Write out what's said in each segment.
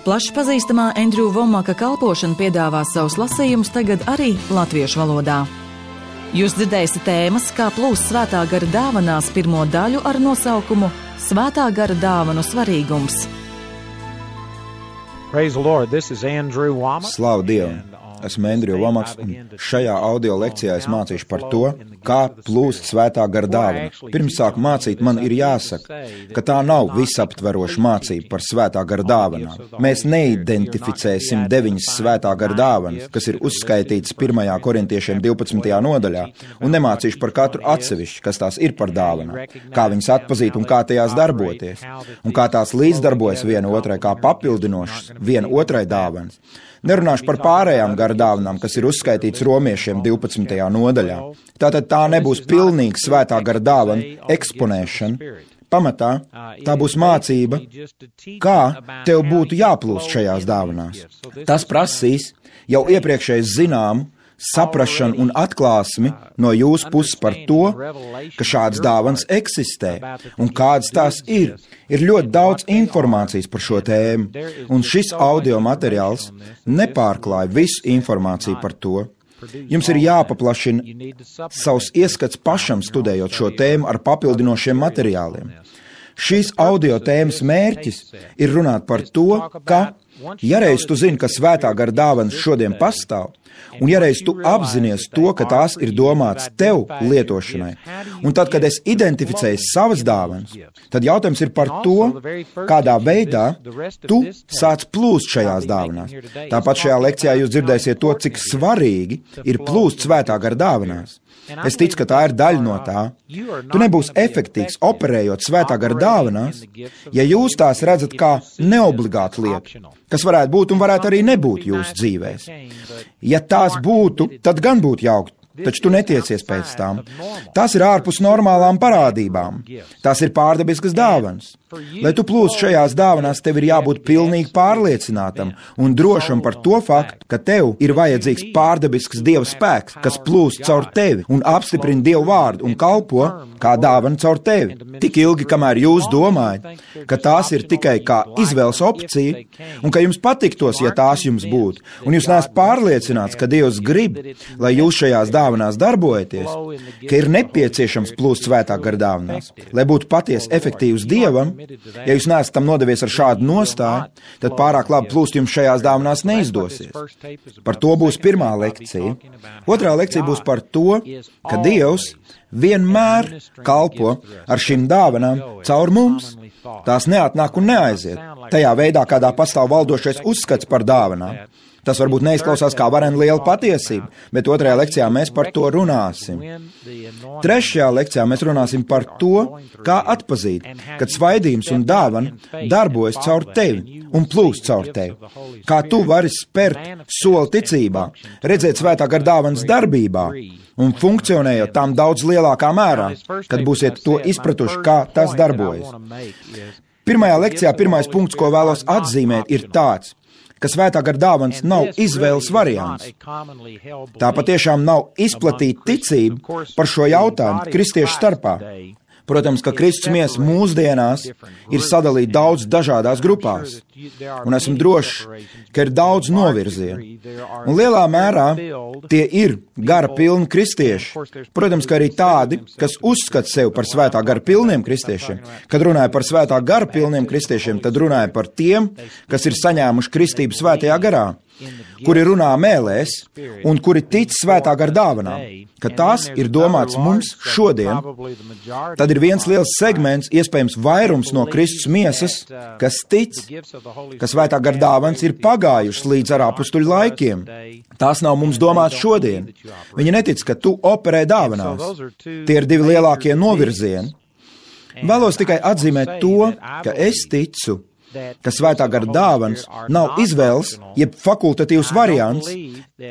Plaši pazīstamā Andrew Womaka kalpošana piedāvā savus lasījumus tagad arī latviešu valodā. Jūs dzirdēsiet tēmas, kā plūst svētā gara dāvanās pirmo daļu ar nosaukumu Svētā gara dāvanu svarīgums. Slavu Dievam! Esmu Andrew Womaks, un šajā audio lekcijā es mācīšu par to, kā plūst svētā gara dāvana. Pirms sāku mācīt, man ir jāsaka, ka tā nav visaptveroša mācība par svētā gara dāvanām. Mēs neidentificēsim 9 svētā gara dāvanas, kas ir uzskaitītas 1. Korintiešiem 12. nodaļā, un nemācīšu par katru atsevišķi, kas tās ir par dāvanām, kā viņas atpazīt un kā tajās darboties, un kā tās līdzdarbojas viena otrai, kā papildinošas viena otrai dāvanas. Nerunāšu par pārējām gara dāvanām, kas ir uzskaitīts Romiešiem 12. nodaļā. Tātad tā nebūs pilnīga svētā gara dāvana eksponēšana. Pamatā tā būs mācība, kā tev būtu jāplūst šajās dāvanās. Tas prasīs jau iepriekšēji zināmu saprašanu un atklāsmi no jūsu puses par to, ka šādas dāvanas eksistē un kādas tās ir. Ir ļoti daudz informācijas par šo tēmu, un šis audio materiāls nepārklāja visu informāciju par to. Jums ir jāpaplašina savs ieskats pašam studējot šo tēmu ar papildinošiem materiāliem. Šīs audio tēmas mērķis ir runāt par to, ka, ja reiz tu zini, ka svētā gara dāvanas šodien pastāv, un ja reiz tu apzinies to, ka tās ir domāts tev lietošanai, un tad, kad es identificēju savas dāvanas, tad jautājums ir par to, kādā veidā tu sāc plūst šajās dāvanās. Tāpat šajā lekcijā jūs dzirdēsiet to, cik svarīgi ir plūst svētā gara dāvanās. Es ticu, ka tā ir daļa no tā. Tu nebūsi efektīvs operējot svētā gara dāvanās, ja jūs tās redzat kā neobligātu lietu, kas varētu būt un varētu arī nebūt jūsu dzīvēs. Ja tās būtu, tad gan būtu jauki, taču tu netiecies pēc tām. Tās ir ārpus normālām parādībām. Tās ir pārdabiskas dāvanas. Lai tu plūst šajās dāvanās, tev ir jābūt pilnīgi pārliecinātam un drošam par to faktu, ka tev ir vajadzīgs pārdabisks Dieva spēks, kas plūst caur tevi un apstiprina Dievu vārdu un kalpo kā dāvana caur tevi. Tik ilgi, kamēr jūs domājat, ka tās ir tikai kā izvēles opcija un ka jums patiktos, ja tās jums būtu, un jūs neesat pārliecināts, ka Dievs grib, lai jūs šajās dāvanās darbojaties, ka ir nepieciešams plūst svētā gara dāvanās, lai būtu patiesi efektīvs Dievam. Ja jūs neesat tam nodevies ar šādu nostāju, tad pārāk labi plūst jums šajās dāvanās neizdosies. Par to būs pirmā lekcija. Otrā lekcija būs par to, ka Dievs vienmēr kalpo ar šīm dāvanām caur mums. Tās neatnāk un neaiziet. Tajā veidā, kādā pastāv valdošais uzskats par dāvanām. Tas varbūt neizklausās kā varena liela patiesība, bet otrajā lekcijā mēs par to runāsim. Trešajā lekcijā mēs runāsim par to, kā atpazīt, kad svaidījums un dāvana darbojas caur tevi un plūst caur tevi. Kā tu vari spērt soli ticībā, redzēt svētā gara dāvanas darbībā un funkcionējot tām daudz lielākā mērā, kad būsiet to izpratuši, kā tas darbojas. Pirmajā lekcijā pirmais punkts, ko vēlos atzīmēt, ir tāds, ka svētā gara dāvanas nav izvēles variants. Tā patiešām nav izplatīta ticība par šo jautājumu kristiešu starpā. Protams, ka Kristus miesa mūsdienās ir sadalīta daudz dažādās grupās, un esmu drošs, ka ir daudz novirzienu. Un lielā mērā tie ir gara pilni kristieši. Protams, ka arī tādi, kas uzskata sevi par svētā gara pilniem kristiešiem. Kad runāja par svētā gara pilniem kristiešiem, tad runāja par tiem, kas ir saņēmuši kristību svētajā garā, kuri runā mēlēs un kuri tic svētā gara dāvanām, ka tās ir domāts mums šodien. Tad ir viens liels segments, iespējams vairums no Kristus miesas, kas tic, ka svētā gara dāvanas ir pagājušas līdz ar apustuļu laikiem. Tās nav mums domāts šodien. Viņi netic, ka tu operē dāvanās. Tie ir divi lielākie novirzieni. Vēlos tikai atzīmēt to, ka es ticu, ka svētā gara dāvanas nav izvēles, jeb fakultatīvs variants,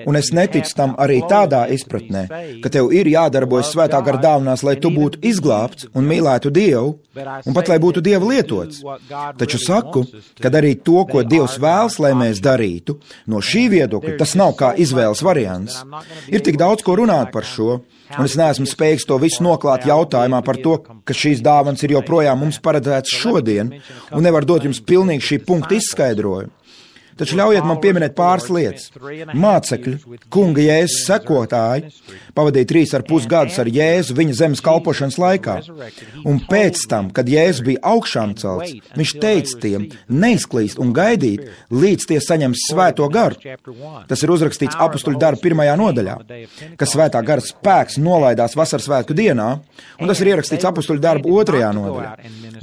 un es neticu tam arī tādā izpratnē, ka tev ir jādarbojas svētā gara dāvanās, lai tu būtu izglābts un mīlētu Dievu, un pat lai būtu Dieva lietots. Taču saku, ka darīt to, ko Dievs vēlas, lai mēs darītu, no šī viedokļa tas nav kā izvēles variants. Ir tik daudz, ko runāt par šo, un es neesmu spējīgs to visu noklāt jautājumā par to, ka šīs dāvanas ir joprojām mums paredzētas šodien, un nevar dot jums pilnīgi šī punkta izskaidrojumu. Taču ļaujiet man pieminēt pāris lietas. Mācekļi, kunga Jēzus sekotāji, pavadīja 3,5 gadus ar Jēzu viņa zemes kalpošanas laikā. Un pēc tam, kad Jēzus bija augšām celts, viņš teica tiem neizklīst un gaidīt, līdz tie saņems svēto garu. Tas ir uzrakstīts Apustuļu darbu 1. nodaļā, ka svētā gara spēks nolaidās vasaras svētku dienā, un tas ir ierakstīts Apustuļu darbu 2. nodaļā.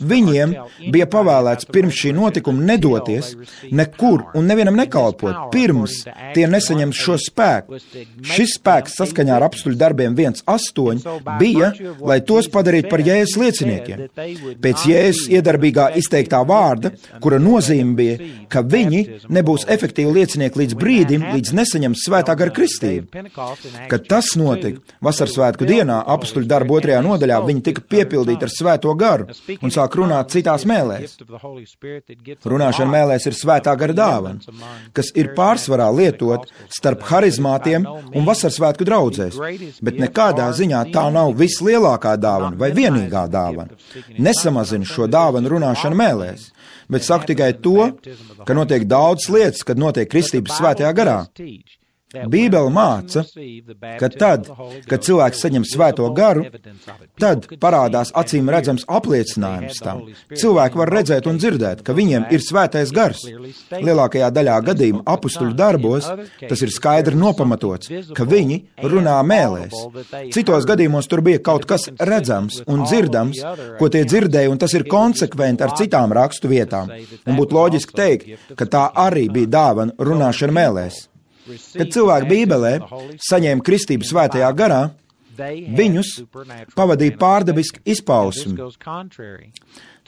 Viņiem bija pavēlēts pirms šī notikuma nedoties nekur un nevienam nekalpot, pirms tie nesaņems šo spēku. Šis spēks saskaņā ar Apustuļu darbiem 1:8 bija, lai tos padarītu par Jēzus lieciniekiem. Pēc Jēzus iedarbīgā izteiktā vārda, kura nozīme bija, ka viņi nebūs efektīvi liecinieki līdz brīdim, līdz nesaņems svētā gara kristību. Kad tas notika, vasaras svētku dienā, Apustuļu darbu 2. nodaļā, viņi tika piepildīti ar svēto garu un sāk runāt citās mēlēs. Runāšana mēlēs ir svētā gara dāvana, kas ir pārsvarā lietot starp harizmātiem un vasaras svētku draudzēs, bet nekādā ziņā tā nav vislielākā dāvana vai vienīgā dāvana. Nesamazina šo dāvanu runāšana mēlēs, bet saku tikai to, ka notiek daudz lietas, kad notiek kristības svētajā garā. Bībele māca, ka tad, kad cilvēks saņem svēto garu, tad parādās acīm redzams apliecinājums tam. Cilvēki var redzēt un dzirdēt, ka viņiem ir svētais gars. Lielākajā daļā gadījumu apustuļu darbos tas ir skaidri nopamatots, ka viņi runā mēlēs. Citos gadījumos tur bija kaut kas redzams un dzirdams, ko tie dzirdēja, un tas ir konsekventi ar citām rakstu vietām. Un būtu loģiski teikt, ka tā arī bija dāvana runāšana mēlēs. Kad cilvēki Bībelē saņēma kristību svētajā garā, viņus pavadīja pārdabiski izpausmi.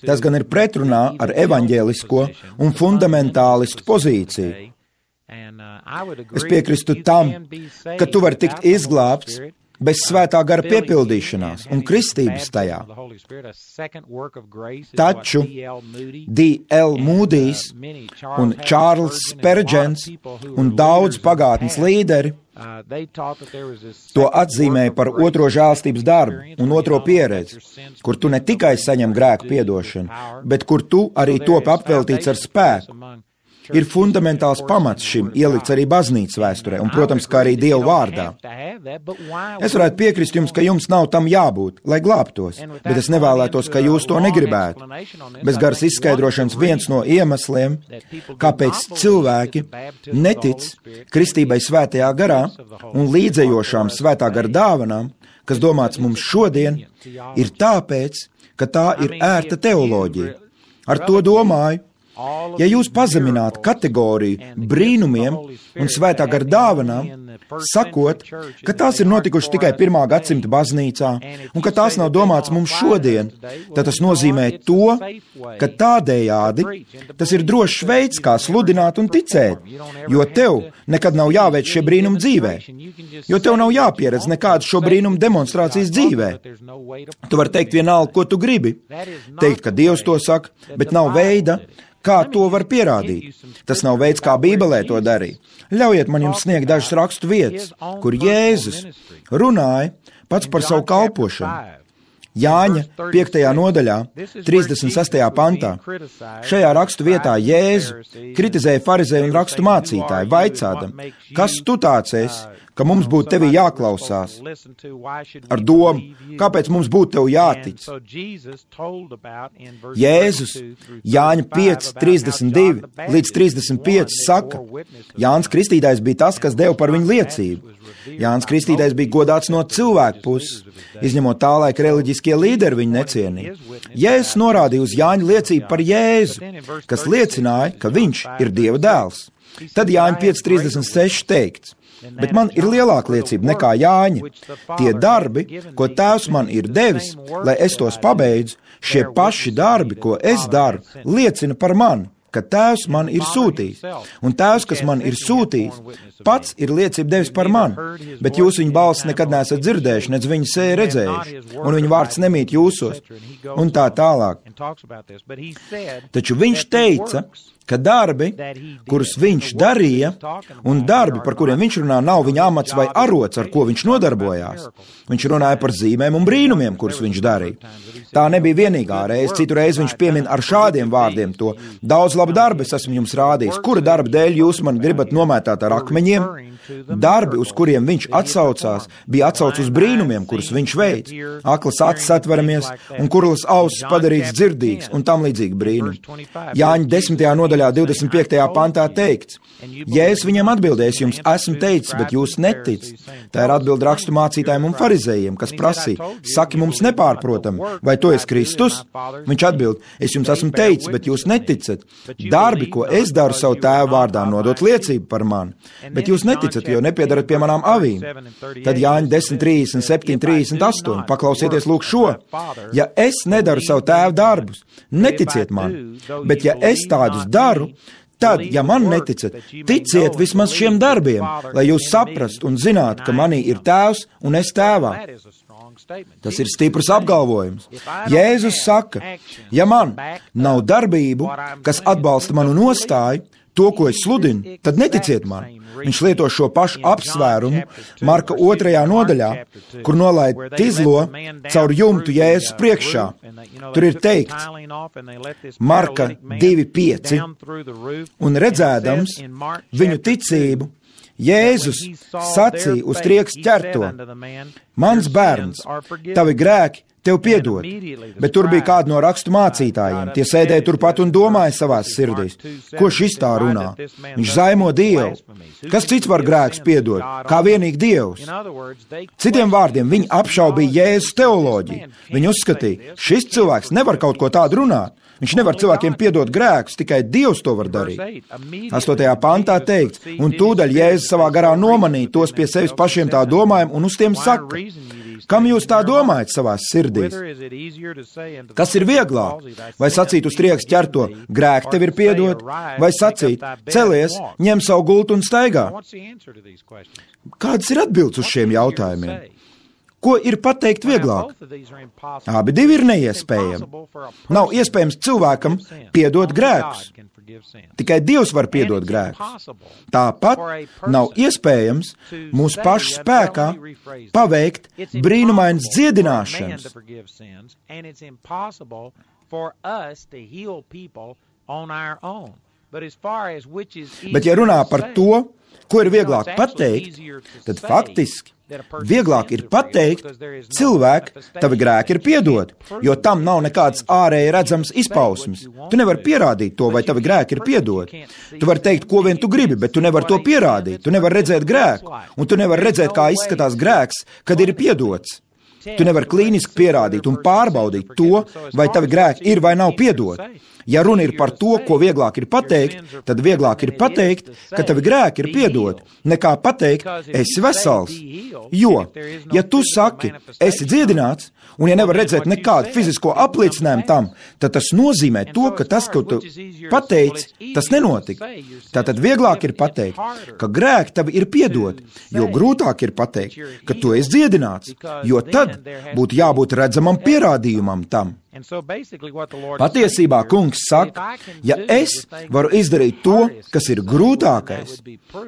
Tas gan ir pretrunā ar evaņģēlisko un fundamentālistu pozīciju. Es piekrīstu tam, ka tu vari tikt izglābts bez svētā gara piepildīšanās un kristības tajā. Taču D.L. Mūdijs un Čārls Spērģens un daudz pagātnes līderi to atzīmēja par otro žēlstības darbu un otro pieredzi, kur tu ne tikai saņem grēku piedošanu, bet kur tu arī topi apveltīts ar spēku. Ir fundamentāls pamats šim ielikts arī baznīcas vēsturē, un, protams, kā arī Dieva vārdā. Es varētu piekrist jums, ka jums nav tam jābūt, lai glābtos, bet es nevēlētos, ka jūs to negribētu. Bez garas izskaidrošanas viens no iemesliem, kāpēc cilvēki netic kristībai svētajā garā un līdzējošām svētā gara dāvanām, kas domāts mums šodien, ir tāpēc, ka tā ir ērta teoloģija. Ar to domāju, ja jūs pazeminātu kategoriju brīnumiem un svētā gara dāvanām, sakot, ka tās ir notikušas tikai 1. gadsimta baznīcā un ka tās nav domāts mums šodien, tad tas nozīmē to, ka tādējādi tas ir drošs veids, kā sludināt un ticēt, jo tev nekad nav jāveic šie brīnumi dzīvē, jo tev nav jāpieredz nekādas šo brīnumu demonstrācijas dzīvē. Tu vari teikt vienalga, ko tu gribi, teikt, ka Dievs to saka, bet nav veida, kā to var pierādīt. Tas nav veids, kā Bībelē to darīja. Ļaujiet man jums sniegt dažas rakstu vietas, kur Jēzus runāja pats par savu kalpošanu. Jāņa 5. nodaļā, 36. pantā. Šajā rakstu vietā Jēzu kritizēja farizēju un rakstu mācītāju, vaicādam, kas tu tāds esi, ka mums būtu tevī jāklausās, ar domu, kāpēc mums būtu tev jātic. Jēzus Jāņa 5, 32 līdz 35 saka, Jānis Kristītājs bija tas, kas deva par viņu liecību. Jānis Kristītājs bija godāts no cilvēku puses, izņemot tā laika reliģiskie līderi viņu necienīja. Jēzus norādīja uz Jāņa liecību par Jēzu, kas liecināja, ka viņš ir Dieva dēls. Tad Jāņa 5.36 teikts, bet man ir lielāka liecība nekā Jāņa. Tie darbi, ko Tēvs man ir devis, lai es tos pabeidzu, šie paši darbi, ko es daru, liecina par mani, ka Tēvs man ir sūtījis. Un Tēvs, kas man ir sūtījis, pats ir liecību devis par mani, bet jūs viņa balsi nekad neesat dzirdējuši, nedz viņa seju redzējuši, un viņa vārds nemīt jūsos, un tā tālāk. Taču viņš teica, ka darbi, kurus viņš darīja, un darbi, par kuriem viņš runā, nav viņa amats vai arots, ar ko viņš nodarbojās. Viņš runāja par zīmēm un brīnumiem, kurus viņš darīja. Tā nebija vienīgā reize, citu reizi viņš piemin ar šādiem vārdiem to. Daudz labu darbu es esmu jums rādījis. Kura darba dēļ jūs man gribat nomētāt ar akmeņiem? Darbi, uz kuriem viņš atsaucās, bija atsauc uz brīnumiem, kurus viņš veic. Aklas acis atveramies un kurlas ausis padarīts dzirdīgs un tam līdzīgi brīnumi. Jāņa 10. nodaļā 25. pantā teikts: Jēzus viņam atbildēs, jums esmu teicis, bet jūs neticat. Tā ir atbilde rakstu mācītājiem un farizējiem, kas prasīja: saki mums nepārprotam, vai tu esi Kristus? Viņš atbild: es jums esmu teicis, bet jūs neticat. Darbi, ko es daru savu tēvu vārdā, nodot liecību par mani, bet jūs neticat, jo nepiedarat pie manām avīm. Tad Jāņa 10:37, 38, paklausieties lūk šo: ja es nedaru savu tēvu darbus, neticiet man, bet ja es tādus daru, tad, ja man neticat, ticiet vismaz šiem darbiem, lai jūs saprastu un zinātu, ka manī ir tēvs un es tēvā. Tas ir stiprs apgalvojums. Jēzus saka, ja man nav darbību, kas atbalsta manu nostāju, to, ko es sludinu, tad neticiet man. Viņš lieto šo pašu apsvērumu Marka 2. nodaļā, kur nolaid tizlo caur jumtu Jēzus priekšā. Tur ir teikts, Marka 2:5, un redzēdams viņu ticību, Jēzus sacīja uz trieks ķerto: mans bērns, tavi grēki tev piedod. Bet tur bija kādi no rakstu mācītājiem. Tie sēdēja turpat un domāja savās sirdīs: ko šis tā runā? Viņš zaimo Dievu. Kas cits var grēkus piedot, kā vienīgi Dievs? Citiem vārdiem, viņi apšaubīja Jēzus teoloģiju. Viņi uzskatīja, šis cilvēks nevar kaut ko tādu runāt. Viņš nevar cilvēkiem piedot grēkus, tikai Dievs to var darīt. 8. pantā teikts, un tūdaļ Jēzus savā garā nomanīja tos pie sevis pašiem tā domājam un uz tiem saka: kam jūs tā domājat savās sirdīs? Kas ir vieglāk? Vai sacīt uz trieks ķerto: grēki tev ir piedot? Vai sacīt: celies, ņem savu gultu un staigā? Kādas ir atbildes uz šiem jautājumiem? Ko ir pateikt vieglāk? Abi divi ir neiespējami. Nav iespējams cilvēkam piedot grēkus. Tikai Dievs var piedot grēkus. Tāpat nav iespējams mūsu pašu spēkā paveikt brīnumainas dziedināšanas. Bet ja runā par to, ko ir vieglāk pateikt, tad faktiski vieglāk ir pateikt: cilvēki, tavi grēki ir piedoti, jo tam nav nekādas ārēji redzams izpausmes. Tu nevari pierādīt to, vai tavi grēki ir piedoti. Tu vari teikt, ko vien tu gribi, bet tu nevari to pierādīt. Tu nevari redzēt grēku, un tu nevari redzēt, kā izskatās grēks, kad ir piedots. Tu nevari klīniski pierādīt un pārbaudīt to, vai tavi grēki ir vai nav piedoti. Ja runa ir par to, ko vieglāk ir pateikt, tad vieglāk ir pateikt, ka tavi grēki ir piedoti, nekā pateikt: esi vesels. Jo, ja tu saki, esi dziedināts, un ja nevar redzēt nekādu fizisko apliecinājumu tam, tad tas nozīmē to, ka tas, ko tu pateici, tas nenotika. Tātad vieglāk ir pateikt, ka grēki tavi ir piedoti, jo grūtāk ir pateikt, ka tu esi dziedināts, jo tad būtu jābūt redzamam pierādījumam tam. Patiesībā kungs saka, ja es varu izdarīt to, kas ir grūtākais,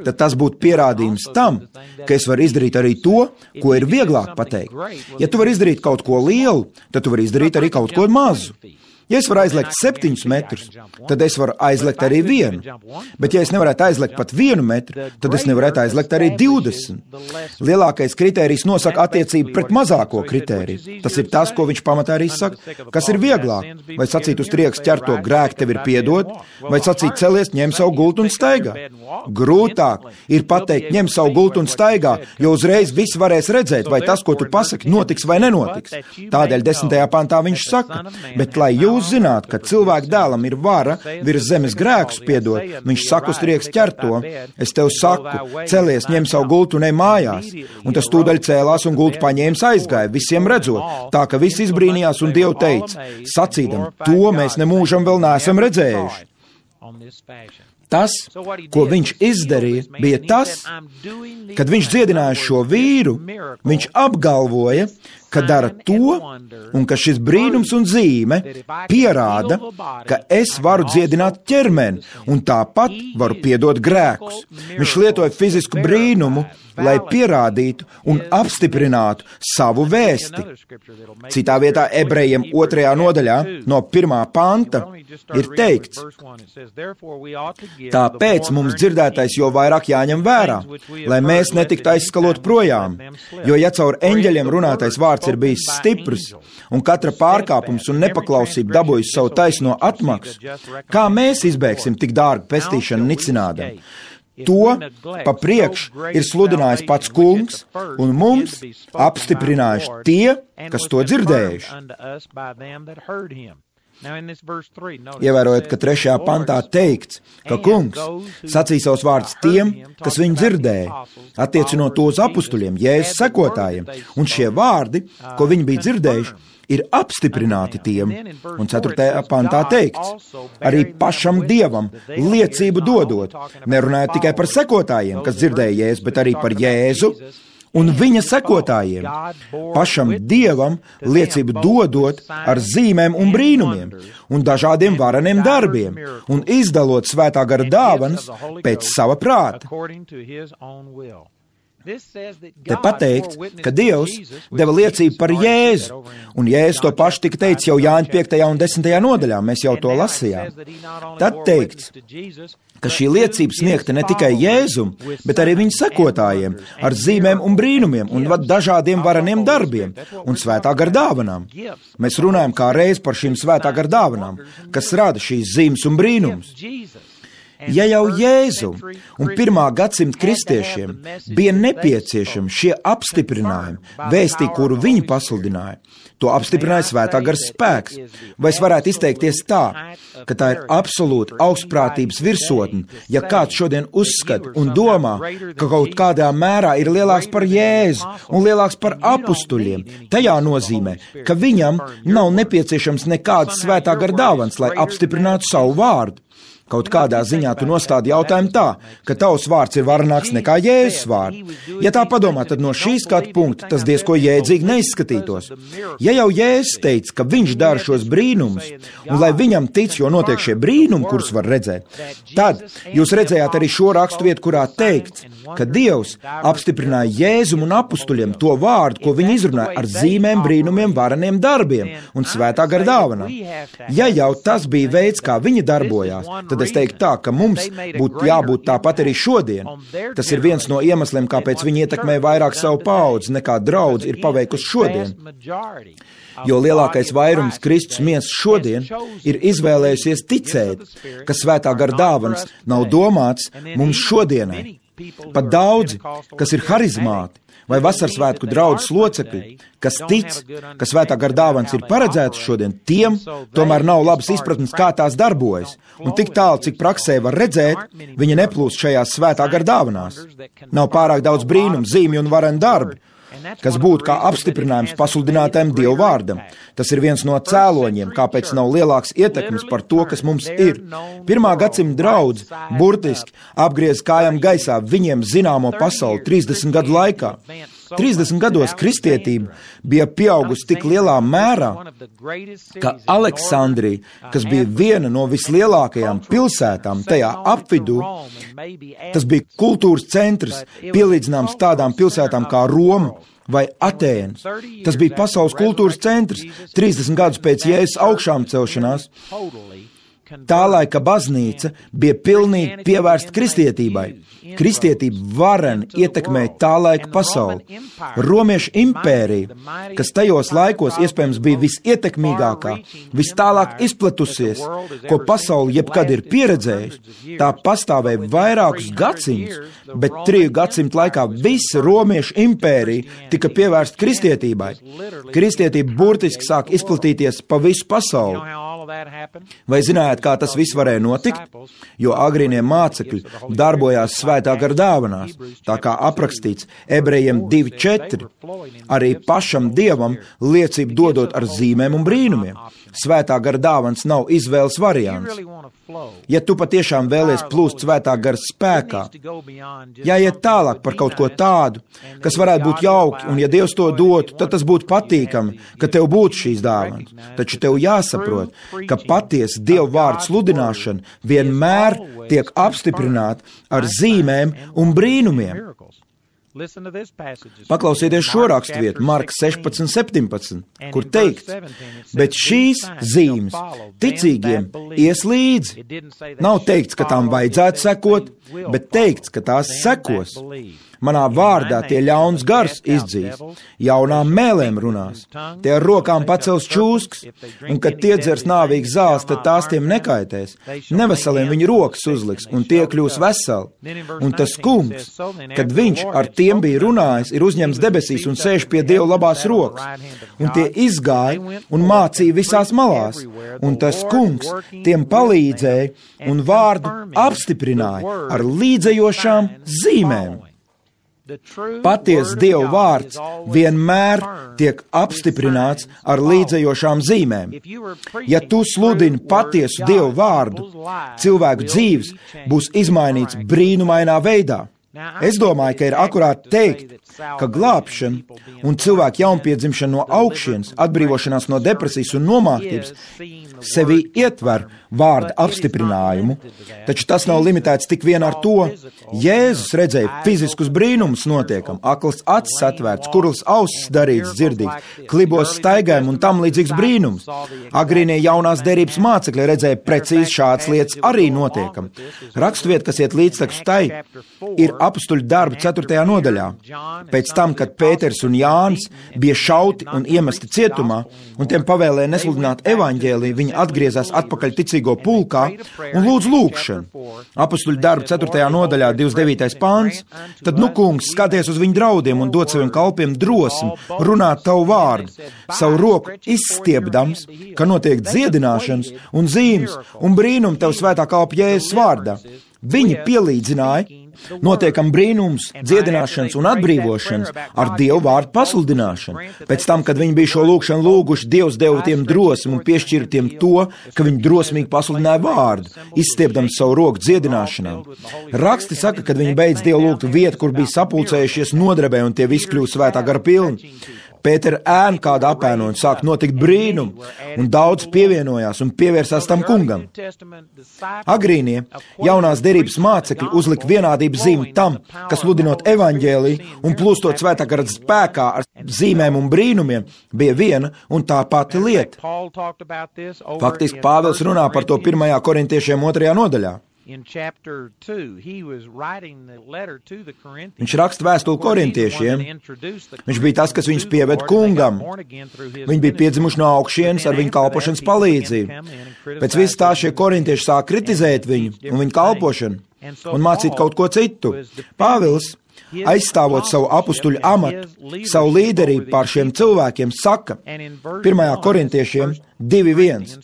tad tas būtu pierādījums tam, ka es varu izdarīt arī to, ko ir vieglāk pateikt. Ja tu vari izdarīt kaut ko lielu, tad tu vari izdarīt arī kaut ko mazu. Ja es varu aizlekt 7 metrus, tad es varu aizlekt arī 1. Bet ja es nevarētu aizlekt pat 1 metru, tad es nevarētu aizlekt arī 20. Lielākais kritērijs nosaka attiecību pret mazāko kritēriju. Tas ir tas, ko viņš pamatā arī saka. Kas ir vieglāk? Vai sacīt uz trieks ķerto: grēki tev ir piedot, vai sacīt: celies, ņem savu gultu un staigā? Grūtāk ir pateikt: ņem savu gultu un staigā, jo uzreiz visi varēs redzēt, vai tas, ko tu pasaki, notiks vai nenotiks. Tādēļ 10. pantā viņš saka: bet lai jūs zināt, ka cilvēka dēlam ir vara virs zemes grēkus piedot, viņš saka uz trieks ķerto: es tev saku, celies, ņem savu gultu un ej mājās. Un tas tūdaļ cēlās un gultu paņēmis aizgāja, visiem redzot, tā ka visi izbrīnījās un Dievu teica, sacīdam: to mēs nemūžam vēl neesam redzējuši. Tas, ko viņš izdarīja, bija tas, kad viņš dziedināja šo vīru, viņš apgalvoja, ka dara to, un ka šis brīnums un zīme pierāda, ka es varu dziedināt ķermeni, un tāpat varu piedot grēkus. Viņš lietoja fizisku brīnumu, lai pierādītu un apstiprinātu savu vēsti. Citā vietā Ebrejiem 2. nodaļā no 1. panta ir teikts, tāpēc mums dzirdētais jo vairāk jāņem vērā, lai mēs netiktu aizskalot projām, jo ja caur eņģeļiem runātais vārds ir bijis stiprs, un katra pārkāpums un nepaklausība dabūjis savu taisno atmaksu, kā mēs izbēgsim tik dārgu pestīšanu nicinādam? To pa priekš ir sludinājis pats kungs, un mums apstiprinājuši tie, kas to dzirdējuši. Ievērojot, ka 3. pantā teikts, ka kungs sacīja savus vārdus tiem, kas viņu dzirdēja, attiecinot to uz apustuļiem, Jēzus sekotājiem, un šie vārdi, ko viņi bija dzirdējuši, ir apstiprināti tiem, un 4. pantā teikts, arī pašam Dievam liecību dodot, nerunājot tikai par sekotājiem, kas dzirdēja Jēzu, bet arī par Jēzu un viņa sekotājiem, pašam Dievam liecību dodot ar zīmēm un brīnumiem un dažādiem vareniem darbiem un izdalot svētā gara dāvanas pēc sava prāta. Te pateikts, ka Dievs deva liecību par Jēzu, un Jēzus to pašu tika teicis jau Jāņa 5. un 10. nodaļā, mēs jau to lasījām. Tad teikts, ka šī liecība sniegta ne tikai Jēzum, bet arī viņa sekotājiem ar zīmēm un brīnumiem un dažādiem vareniem darbiem un svētā gara dāvanām. Mēs runājam kā reiz par šīm svētā gara dāvanām, kas rada šīs zīmes un brīnumus. Ja jau Jēzum un 1. gadsimta kristiešiem bija nepieciešami šie apstiprinājumi, vēstī, kuru viņi pasludināja, to apstiprināja svētā gara spēks. Vai es varētu izteikties tā, ka tā ir absolūta augstprātības virsotne, ja kāds šodien uzskata un domā, ka kaut kādā mērā ir lielāks par Jēzu un lielāks par apustuļiem, tajā nozīmē, ka viņam nav nepieciešams nekādas svētā gara dāvanas, lai apstiprinātu savu vārdu. Kaut kādā ziņā tu nostādi jautājumu tā, ka tavs vārds ir varenāks nekā Jēzus vārds. Ja tā padomā, tad no šī skatu punkta tas diezko jēdzīgi neizskatītos. Ja jau Jēzus teica, ka viņš dara šos brīnumus, un lai viņam tic, jo notiek šie brīnumi, kurus var redzēt, tad jūs redzējāt arī šo rakstu vietu, kurā teikts, ka Dievs apstiprināja Jēzum un apustuļiem to vārdu, ko viņi izrunāja ar zīmēm, brīnumiem, vareniem darbiem un svētā gara dāvanām. Ja jau tas bija veids, kā viņi darbojās, tad es teiktu tā, ka mums būtu jābūt tāpat arī šodien. Tas ir viens no iemesliem, kāpēc viņi ietekmē vairāk savu paudzi, nekā draudz ir paveikusi šodien. Jo lielākais vairums Kristus miesas šodien ir izvēlējusies ticēt, ka svētā gara dāvanas nav domāts mums šodienai. Pat daudzi, kas ir harizmāti vai vasarsvētku draudzes locekļi, kas tic, ka svētā gara dāvanas ir paredzētas šodien, tiem tomēr nav labas izpratnes, kā tās darbojas. Un tik tālu, cik praksē var redzēt, viņi neplūst šajās svētā gara dāvanās. Nav pārāk daudz brīnumu, zīmju un varenu darbi, kas būtu kā apstiprinājums pasludinātajam Dievu vārdam. Tas ir viens no cēloņiem, kāpēc nav lielāks ietekmes par to, kas mums ir. 1. gadsimta draudze burtiski apgriez kājām gaisā viņiem zināmo pasauli 30 gadu laikā. 30 gados kristietība bija pieaugusi tik lielā mērā, ka Aleksandrija, kas bija viena no vislielākajām pilsētām tajā apvidū, tas bija kultūras centrs, pielīdzināms tādām pilsētām kā Roma vai Atēnas. Tas bija pasaules kultūras centrs 30 gadus pēc Jēzus augšām celšanās. Tā laika baznīca bija pilnīgi pievērsta kristietībai. Kristietība vareni ietekmēja tā laika pasauli. Romiešu impērija, kas tajos laikos iespējams bija visietekmīgākā, vistālāk izplatusies, ko pasauli jebkad ir pieredzējusi, tā pastāvēja vairākus gadsimtus, bet 3 gadsimtu laikā visa Romiešu impērija tika pievērsta kristietībai. Kristietība burtiski sāk izplatīties pa visu pasauli. Vai zinājāt, kā tas viss varēja notikt? Jo agrīnie mācekļi darbojās svētā gara dāvanās, tā kā aprakstīts Ebrejiem 2:4, arī pašam Dievam liecību dodot ar zīmēm un brīnumiem. Svētā gara dāvans nav izvēles variants. Ja tu patiešām vēlies plūst svētā gara spēkā, jāiet tālāk par kaut ko tādu, kas varētu būt jauki, un ja Dievs to dotu, tad tas būtu patīkami, ka tev būtu šīs dāvanas. Taču tev jāsaprot, ka patiesa Dieva vārda sludināšana vienmēr tiek apstiprināta ar zīmēm un brīnumiem. Paklausieties šo raksturvietu, Marka 16:17, kur teikts, bet šīs zīmes ticīgiem ies līdzi. Nav teikts, ka tām vajadzētu sekot, bet teikts, ka tās sekos. Manā vārdā tie ļauns gars izdzīs, jaunām mēlēm runās, tie ar rokām pacels čūskas, un kad tie dzers nāvīgs zāles, tad tās tiem nekaitēs. Neveseliem viņi rokas uzliks, un tie kļūs veseli. Un tas kungs, kad viņš ar tiem bija runājis, ir uzņemts debesīs un sēž pie Dieva labās rokas. Un tie izgāja un mācīja visās malās, un tas kungs tiem palīdzēja un vārdu apstiprināja ar līdzējošām zīmēm. Patiesa Dieva vārds vienmēr tiek apstiprināts ar līdzējošām zīmēm. Ja tu sludini patiesu Dieva vārdu, cilvēku dzīves būs izmainīts brīnumainā veidā. Es domāju, ka ir akurāti teikt, ka glābšana un cilvēku jaunpiedzimšana no augšienes, atbrīvošanās no depresijas un nomāktības sevi ietver vārda apstiprinājumu, taču tas nav limitēts tik vien ar to. Jēzus redzēja fiziskus brīnumus notiekam, akls acis atvērts, kurls ausis darīts dzirdīgs, klibos staigājumi un tam līdzīgs brīnums. Agrīnie jaunās derības mācekļi redzēja precīzi šādas lietas arī notiekam. Raksturvieta, kas iet līdztekus tai, ir Apustuļu darbi 4. nodaļā. Pēc tam, kad Pēters un Jānis bija šauti un iemesti cietumā, un tiem pavēlēja nesludināt evaņģēliju, viņi atgriezās atpakaļ ticīgo pulkā un lūdz lūgšanu. Apustuļu darbi 4. nodaļā 29. pāns. Tad, kungs, skaties uz viņu draudiem un dod saviem kalpiem drosmi runāt tavu vārdu, savu roku izstiepdams, ka notiek dziedināšanas un zīmes un brīnumi tavu svētā kalpa Jēzus vārdā. Viņi pielīdzināja notiekam brīnums, dziedināšanas un atbrīvošanas ar Dievu vārdu pasludināšanu. Pēc tam, kad viņi bija šo lūgšanu lūguši, Dievs deva tiem drosmi un piešķīra tiem to, ka viņi drosmīgi pasludināja vārdu, izstiepdams savu roku dziedināšanām. Raksti saka, kad viņi beidz Dievu lūgt vietu, kur bija sapulcējušies nodrebē un tie visi kļūst svētā gara pilni. Pētera ēna kāda apēno un sāk notikt brīnumi, un daudz pievienojās un pievērsās tam kungam. Agrīnie jaunās derības mācekļi uzlika vienādības zīmi tam, kas sludinot evaņģēliju un plūstot svētā gara spēkā ar zīmēm un brīnumiem, bija viena un tā pati lieta. Faktiski Pāvils runā par to 1. korintiešiem 2. nodaļā. Viņš raksta vēstuli korintiešiem. Viņš bija tas, kas viņus pieved kungam. Viņi bija piedzimuši no augšienes ar viņu kalpošanas palīdzību. Pēc viss tā šie korintieši sāk kritizēt viņu un viņu kalpošanu un mācīt kaut ko citu. Pāvils, aizstāvot savu apustuļu amatu, savu līderību pār šiem cilvēkiem, saka 1. korintiešiem 2:1.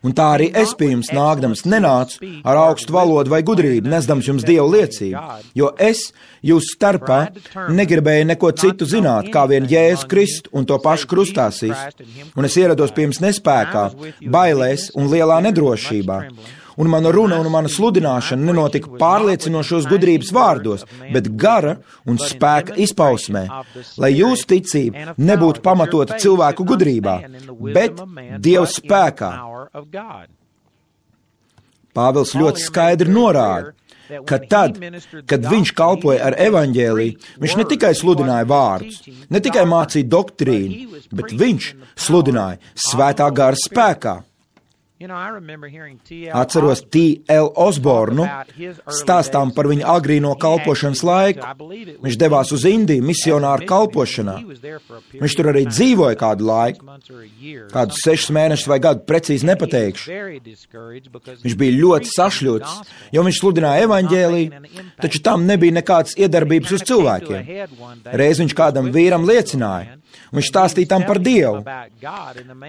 Un tā arī es pie jums nākdams nenācu ar augstu valodu vai gudrību, nesdams jums Dievu liecību, jo es jūsu starpā negribēju neko citu zināt, kā vien Jēzu Kristu un to pašu krustāsīs, un es ierados pie jums nespēkā, bailēs un lielā nedrošībā. Un mana runa un mana sludināšana nenotika pārliecinošos gudrības vārdos, bet gara un spēka izpausmē, lai jūsu ticība nebūtu pamatota cilvēku gudrībā, bet Dieva spēkā. Pāvils ļoti skaidri norāda, ka tad, kad viņš kalpoja ar evaņģēliju, viņš ne tikai sludināja vārdus, ne tikai mācīja doktrīnu, bet viņš sludināja svētā gara spēkā. Atceros T.L. Osbornu stāstām par viņa agrīno kalpošanas laiku. Viņš devās uz Indiju misionāru kalpošanā. Viņš tur arī dzīvoja kādu laiku, kādus 6 mēnešus vai gadu, precīzi nepateikšu. Viņš bija ļoti sašļots, jo viņš sludināja evaņģēliju, taču tam nebija nekādas iedarbības uz cilvēkiem. Reiz viņš kādam vīram liecināja. Viņš stāstīja tam par Dievu.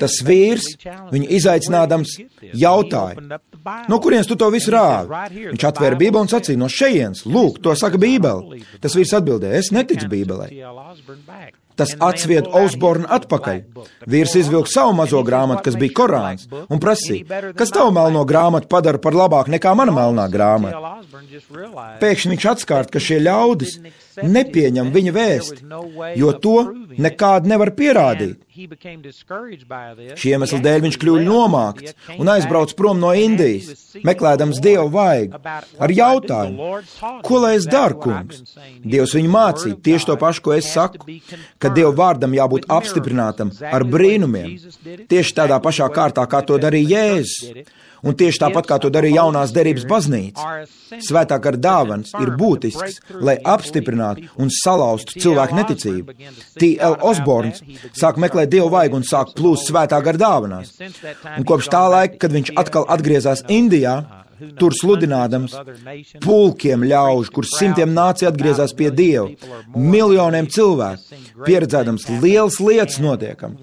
Tas vīrs, viņu izaicinādams, jautāja, no kurienes tu to visu rāvi? Viņš atvēra Bībeli un sacīja, no šejienes, lūk, to saka Bībele. Tas vīrs atbildēja, es neticu Bībelē. Tas atsvied Osbornu atpakaļ. Vīrs izvilka savu mazo grāmatu, kas bija Korāns, un prasīja, kas tavu melno grāmatu padara par labāku nekā mana melnā grāmata. Pēkšņi viņš atskārt, ka šie ļaudis nepieņem viņa vēsti, jo to nekādi nevar pierādīt. Šī iemesla dēļ viņš kļuva nomākts un aizbrauc prom no Indijas, meklēdams Dievu vaigu, ar jautājumu, ko lai es daru, kungs? Dievs viņu mācīja tieši to pašu, ko es saku, ka Dieva vārdam jābūt apstiprinātam ar brīnumiem, tieši tādā pašā kārtā, kā to darīja Jēzus. Un tieši tāpat, kā to darīja jaunās derības baznīca. Svētā gara dāvans ir būtisks, lai apstiprinātu un salauztu cilvēku neticību. T.L. Osborns sāk meklēt Dievu vaigu un sāk plūst svētā gara dāvanās. Un kopš tā laika, kad viņš atkal atgriezās Indijā, tur sludinādams pulkiem ļaužu, kur simtiem nācija atgriezās pie Dieva, miljoniem cilvēku, pieredzēdams lielas lietas notiekam.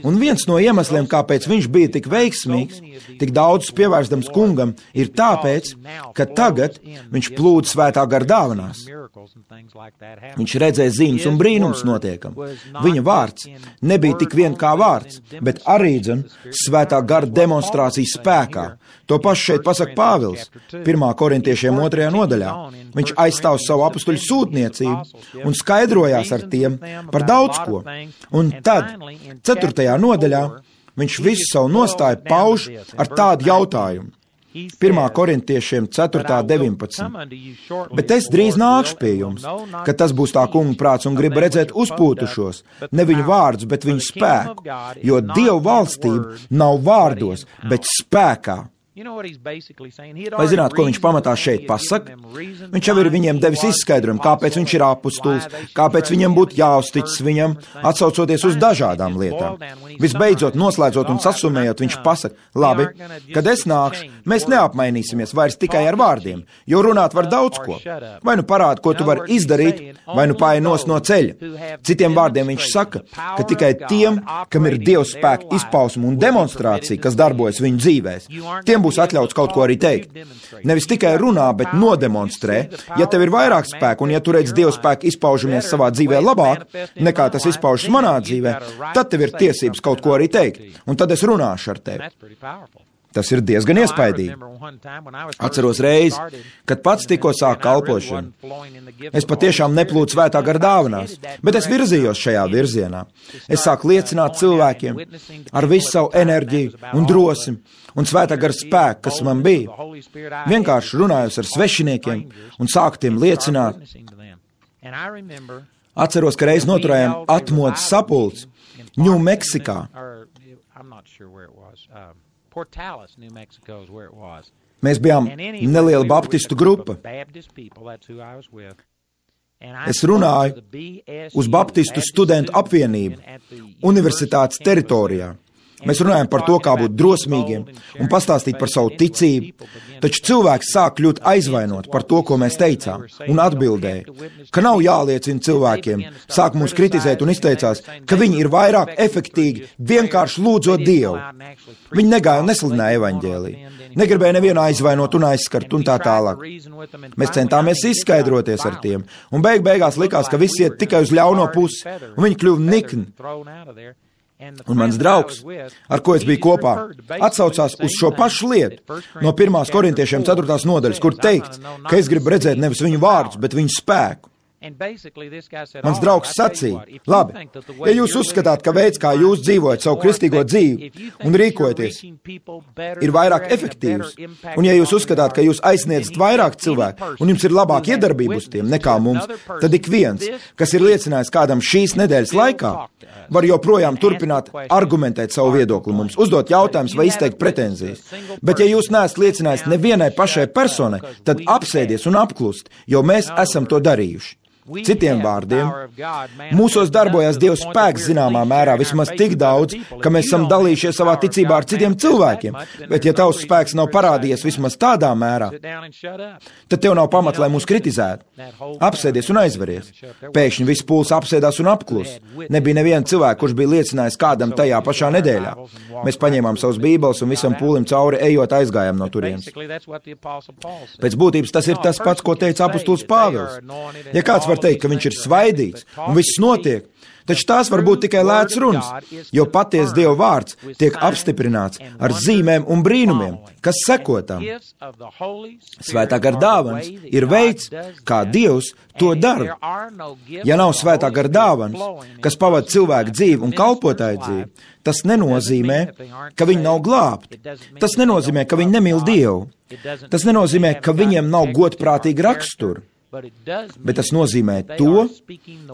Un viens no iemesliem, kāpēc viņš bija tik veiksmīgs, tik daudz pievērstams kungam, ir tāpēc, ka tagad viņš plūda svētā gara dāvanās. Viņš redzēja zīmes un brīnums notiekam. Viņa vārds nebija tik vien kā vārds, bet arī svētā gara demonstrācijas spēkā. To pašu šeit pasaka Pāvils, 1. korintiešiem 2. nodaļā. Viņš aizstāv savu apustuļu sūtniecību un skaidrojās ar tiem par daudz ko. Un tad, 4. nodaļā, viņš visu savu nostāju pauž ar tādu jautājumu. 1. korintiešiem 4.19. Bet es drīz nākšu pie jums, kad tas būs tā kunga prāts un gribu redzēt uzpūtušos, ne viņu vārdus, bet viņu spēku, jo Dieva valstība nav vārdos, bet spēkā. Vai zināt, ko viņš pamatā šeit pasaka? Viņš jau ir viņiem devis izskaidrojumu, kāpēc viņš ir apustulis, kāpēc viņiem būtu jāuzticas viņam, atsaucoties uz dažādām lietām. Visbeidzot, noslēdzot un sasumējot, viņš pasaka, labi, kad es nākšu, mēs neapmainīsimies vairs tikai ar vārdiem, jo runāt var daudz ko. Vai nu parāda, ko tu vari izdarīt, vai nu paej nost no ceļa. Citiem vārdiem viņš saka, ka tikai tiem, kam ir Dieva spēka izpausme un demonstrācija, kas darbojas viņu dzīvēs, tiem būs atļauts kaut ko arī teikt. Nevis tikai runā, bet nodemonstrē. Ja tev ir vairāk spēku un ja tu redz Dieva spēku izpaužamies savā dzīvē labāk, nekā tas izpaužas manā dzīvē, tad tev ir tiesības kaut ko arī teikt. Un tad es runāšu ar tevi. Tas ir diezgan iespaidīgi. Atceros reizi, kad pats tikko sāk kalpošanu. Es patiešām neplūdu svētā gara dāvanās, bet es virzījos šajā virzienā. Es sāku liecināt cilvēkiem ar visu savu enerģiju un drosmi un svētā gara spēku, kas man bija. Vienkārši runājos ar svešiniekiem un sāku tiem liecināt. Atceros, ka reiz noturējām atmodas sapulci New Meksikā. Mēs bijām neliela baptistu grupa. Es runāju uz Baptistu studentu apvienību universitātes teritorijā. Mēs runājam par to, kā būt drosmīgiem un pastāstīt par savu ticību, taču cilvēks sāk kļūt aizvainot par to, ko mēs teicām, un atbildēja, ka nav jāliecina cilvēkiem, sāk mūs kritizēt un izteicās, ka viņi ir vairāk efektīgi, vienkārši lūdzot Dievu. Viņi negāja un nesludināja evaņģēliju, negribēja nevienu aizvainot un aizskart un tā tālāk. Mēs centāmies izskaidroties ar tiem, un beigās likās, ka visi iet tikai uz ļauno pusi, un viņi kļuva nikni. Un mans draugs, ar ko es biju kopā, atsaucās uz šo pašu lietu no 1. korintiešiem 4. nodaļas, kur teikts, ka es gribu redzēt nevis viņu vārdus, bet viņu spēku. Mans draugs sacīja, labi, ja jūs uzskatāt, ka veids, kā jūs dzīvojat savu kristīgo dzīvi un rīkojaties, ir vairāk efektīvs, un ja jūs uzskatāt, ka jūs aizsniedzat vairāk cilvēku un jums ir labāk iedarbība uz tiem nekā mums, tad ik viens, kas ir liecinājis kādam šīs nedēļas laikā, var joprojām turpināt argumentēt savu viedokli mums, uzdot jautājumus vai izteikt pretenzijas. Bet ja jūs neesat liecinājis nevienai pašai personai, tad apsēdies un apklust, jo mēs esam to darījuši. Citiem vārdiem, mūsos darbojas Dieva spēks zināmā mērā vismaz tik daudz, ka mēs esam dalījušies savā ticībā ar citiem cilvēkiem, bet ja tavs spēks nav parādījies vismaz tādā mērā, tad tev nav pamat, lai mūs kritizētu. Apsēdies un aizveries. Pēkšņi viss pūls apsēdās un apklus. Nebija neviena cilvēka, kurš bija liecinājis kādam tajā pašā nedēļā. Mēs paņēmām savus bībeles un visam pūlim cauri ejot aizgājām no turienes. Pēc būtības tas ir tas pats, ko teica apustulis Pāvils. Ja kāds var var teikt, ka viņš ir svaidīts un viss notiek, taču tās var būt tikai lēts runas, jo patiesi Dieva vārds tiek apstiprināts ar zīmēm un brīnumiem, kas seko tam. Svētā gara dāvanas ir veids, kā Dievs to dara. Ja nav svētā gara dāvanas, kas pavada cilvēku dzīvi un kalpotāju dzīvi, tas nenozīmē, ka viņi nav glābti. Tas nenozīmē, ka viņi nemīl Dievu. Tas nenozīmē, ka viņiem nav godprātīgi raksturi. Bet tas nozīmē to,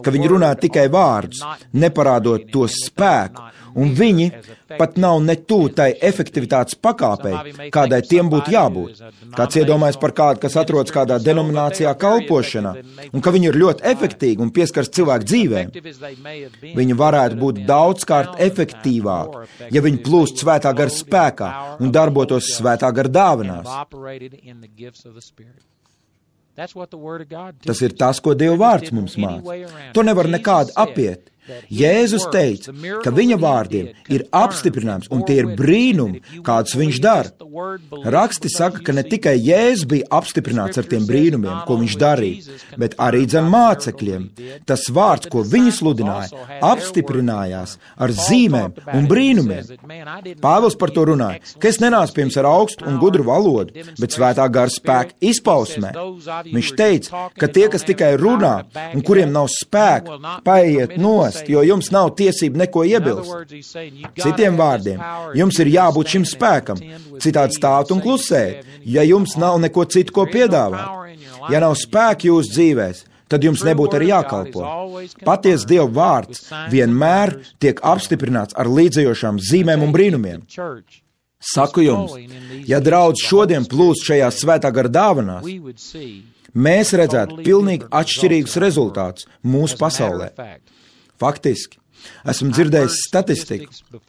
ka viņi runā tikai vārdus, neparādot to spēku, un viņi pat nav ne tuvu tai efektivitātes pakāpei, kādai tiem būtu jābūt. Kāds iedomājas par kādu, kas atrodas kādā denominācijā kalpošanā, un ka viņi ir ļoti efektīgi un pieskars cilvēku dzīvēm. Viņi varētu būt daudzkārt efektīvāki, ja viņi plūst svētā gara spēkā un darbotos svētā gara dāvanās. Tas ir tas, ko Dieva vārds mums māca. To nevar nekādi apiet. Jēzus teica, ka viņa vārdiem ir apstiprinājums, un tie ir brīnumi, kādus viņš dara. Raksti saka, ka ne tikai Jēzus bija apstiprināts ar tiem brīnumiem, ko viņš darīja, bet arī dzen mācekļiem. Tas vārds, ko viņi sludināja, apstiprinājās ar zīmēm un brīnumiem. Pāvils par to runāja, ka es nenācu pie jums ar augstu un gudru valodu, bet svētā gara spēka izpausmē. Viņš teica, ka tie, kas tikai runā un kuriem nav spēka, paiet nost, jo jums nav tiesība neko iebilst. Citiem vārdiem, jums ir jābūt šim spēkam, citādi stāvot un klusēt, ja jums nav neko citu, ko piedāvāt. Ja nav spēka jūsu dzīvēs, tad jums nebūtu arī jākalpo. Patiesi Dieva vārds vienmēr tiek apstiprināts ar līdzējošām zīmēm un brīnumiem. Saku jums, ja draudz šodien plūst šajās svētā gara dāvanās, mēs redzētu pilnīgi atšķirīgus rezultātus mūsu pasaulē. Faktiski, esmu dzirdējis statistiku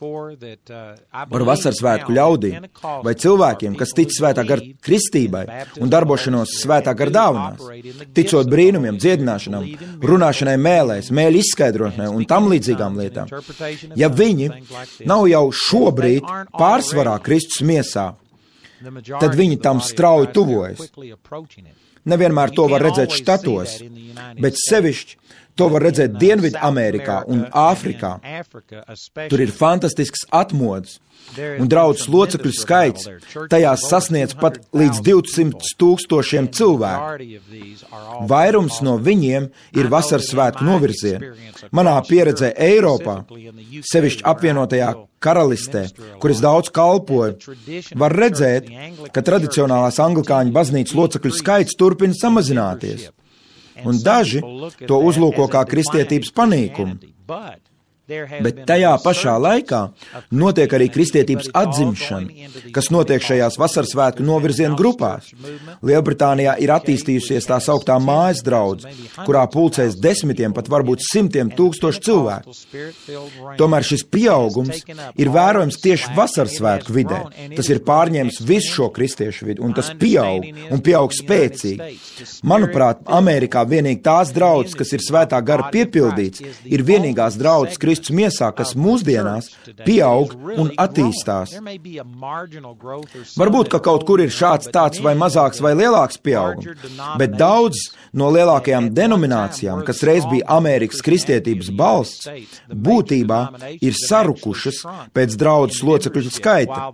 par vasarsvētku ļaudīm vai cilvēkiem, kas tic svētā gara kristībai un darbošanos svētā gara dāvanās, ticot brīnumiem, dziedināšanām, runāšanai mēlēs, mēļu izskaidrošanai un tam līdzīgām lietām. Ja viņi nav jau šobrīd pārsvarā Kristus miesā, tad viņi tam strauji tuvojas. Nevienmēr to var redzēt štatos, bet sevišķi to var redzēt Dienvidu Amerikā un Āfrikā. Tur ir fantastisks atmodas, un draudzes locekļu skaits tajās sasniedz pat līdz 200,000 cilvēku. Vairums no viņiem ir vasaras svētku novirzieni. Manā pieredzē Eiropā, sevišķi apvienotajā Karalistē, kur es daudz kalpoju, var redzēt, ka tradicionālās anglikāņu baznīcas locekļu skaits turpina samazināties. Un daži to uzlūko kā kristietības panīkumu. Bet tajā pašā laikā notiek arī kristietības atzimšana, kas notiek šajās vasaras svētku novirzienu grupās. Lielbritānijā ir attīstījusies tā sauktā mājas draudze, kurā pulcēs desmitiem, pat varbūt 100,000 cilvēku. Tomēr šis pieaugums ir vērojams tieši vasaras svētku vidē. Tas ir pārņēmis visu šo kristiešu vidu, un tas pieaug, un pieaug spēcīgi. Manuprāt, Amerikā vienīgi tās draudzes, kas ir svētā gara piepildīts, ir vienīgās draudzes Kristus miesā, kas mūsdienās pieaug un attīstās. Varbūt, ka kaut kur ir šāds tāds vai mazāks vai lielāks pieaugums, bet daudz no lielākajām denominācijām, kas reiz bija Amerikas kristietības balsts, būtībā ir sarukušas pēc draudzes locekļu skaita.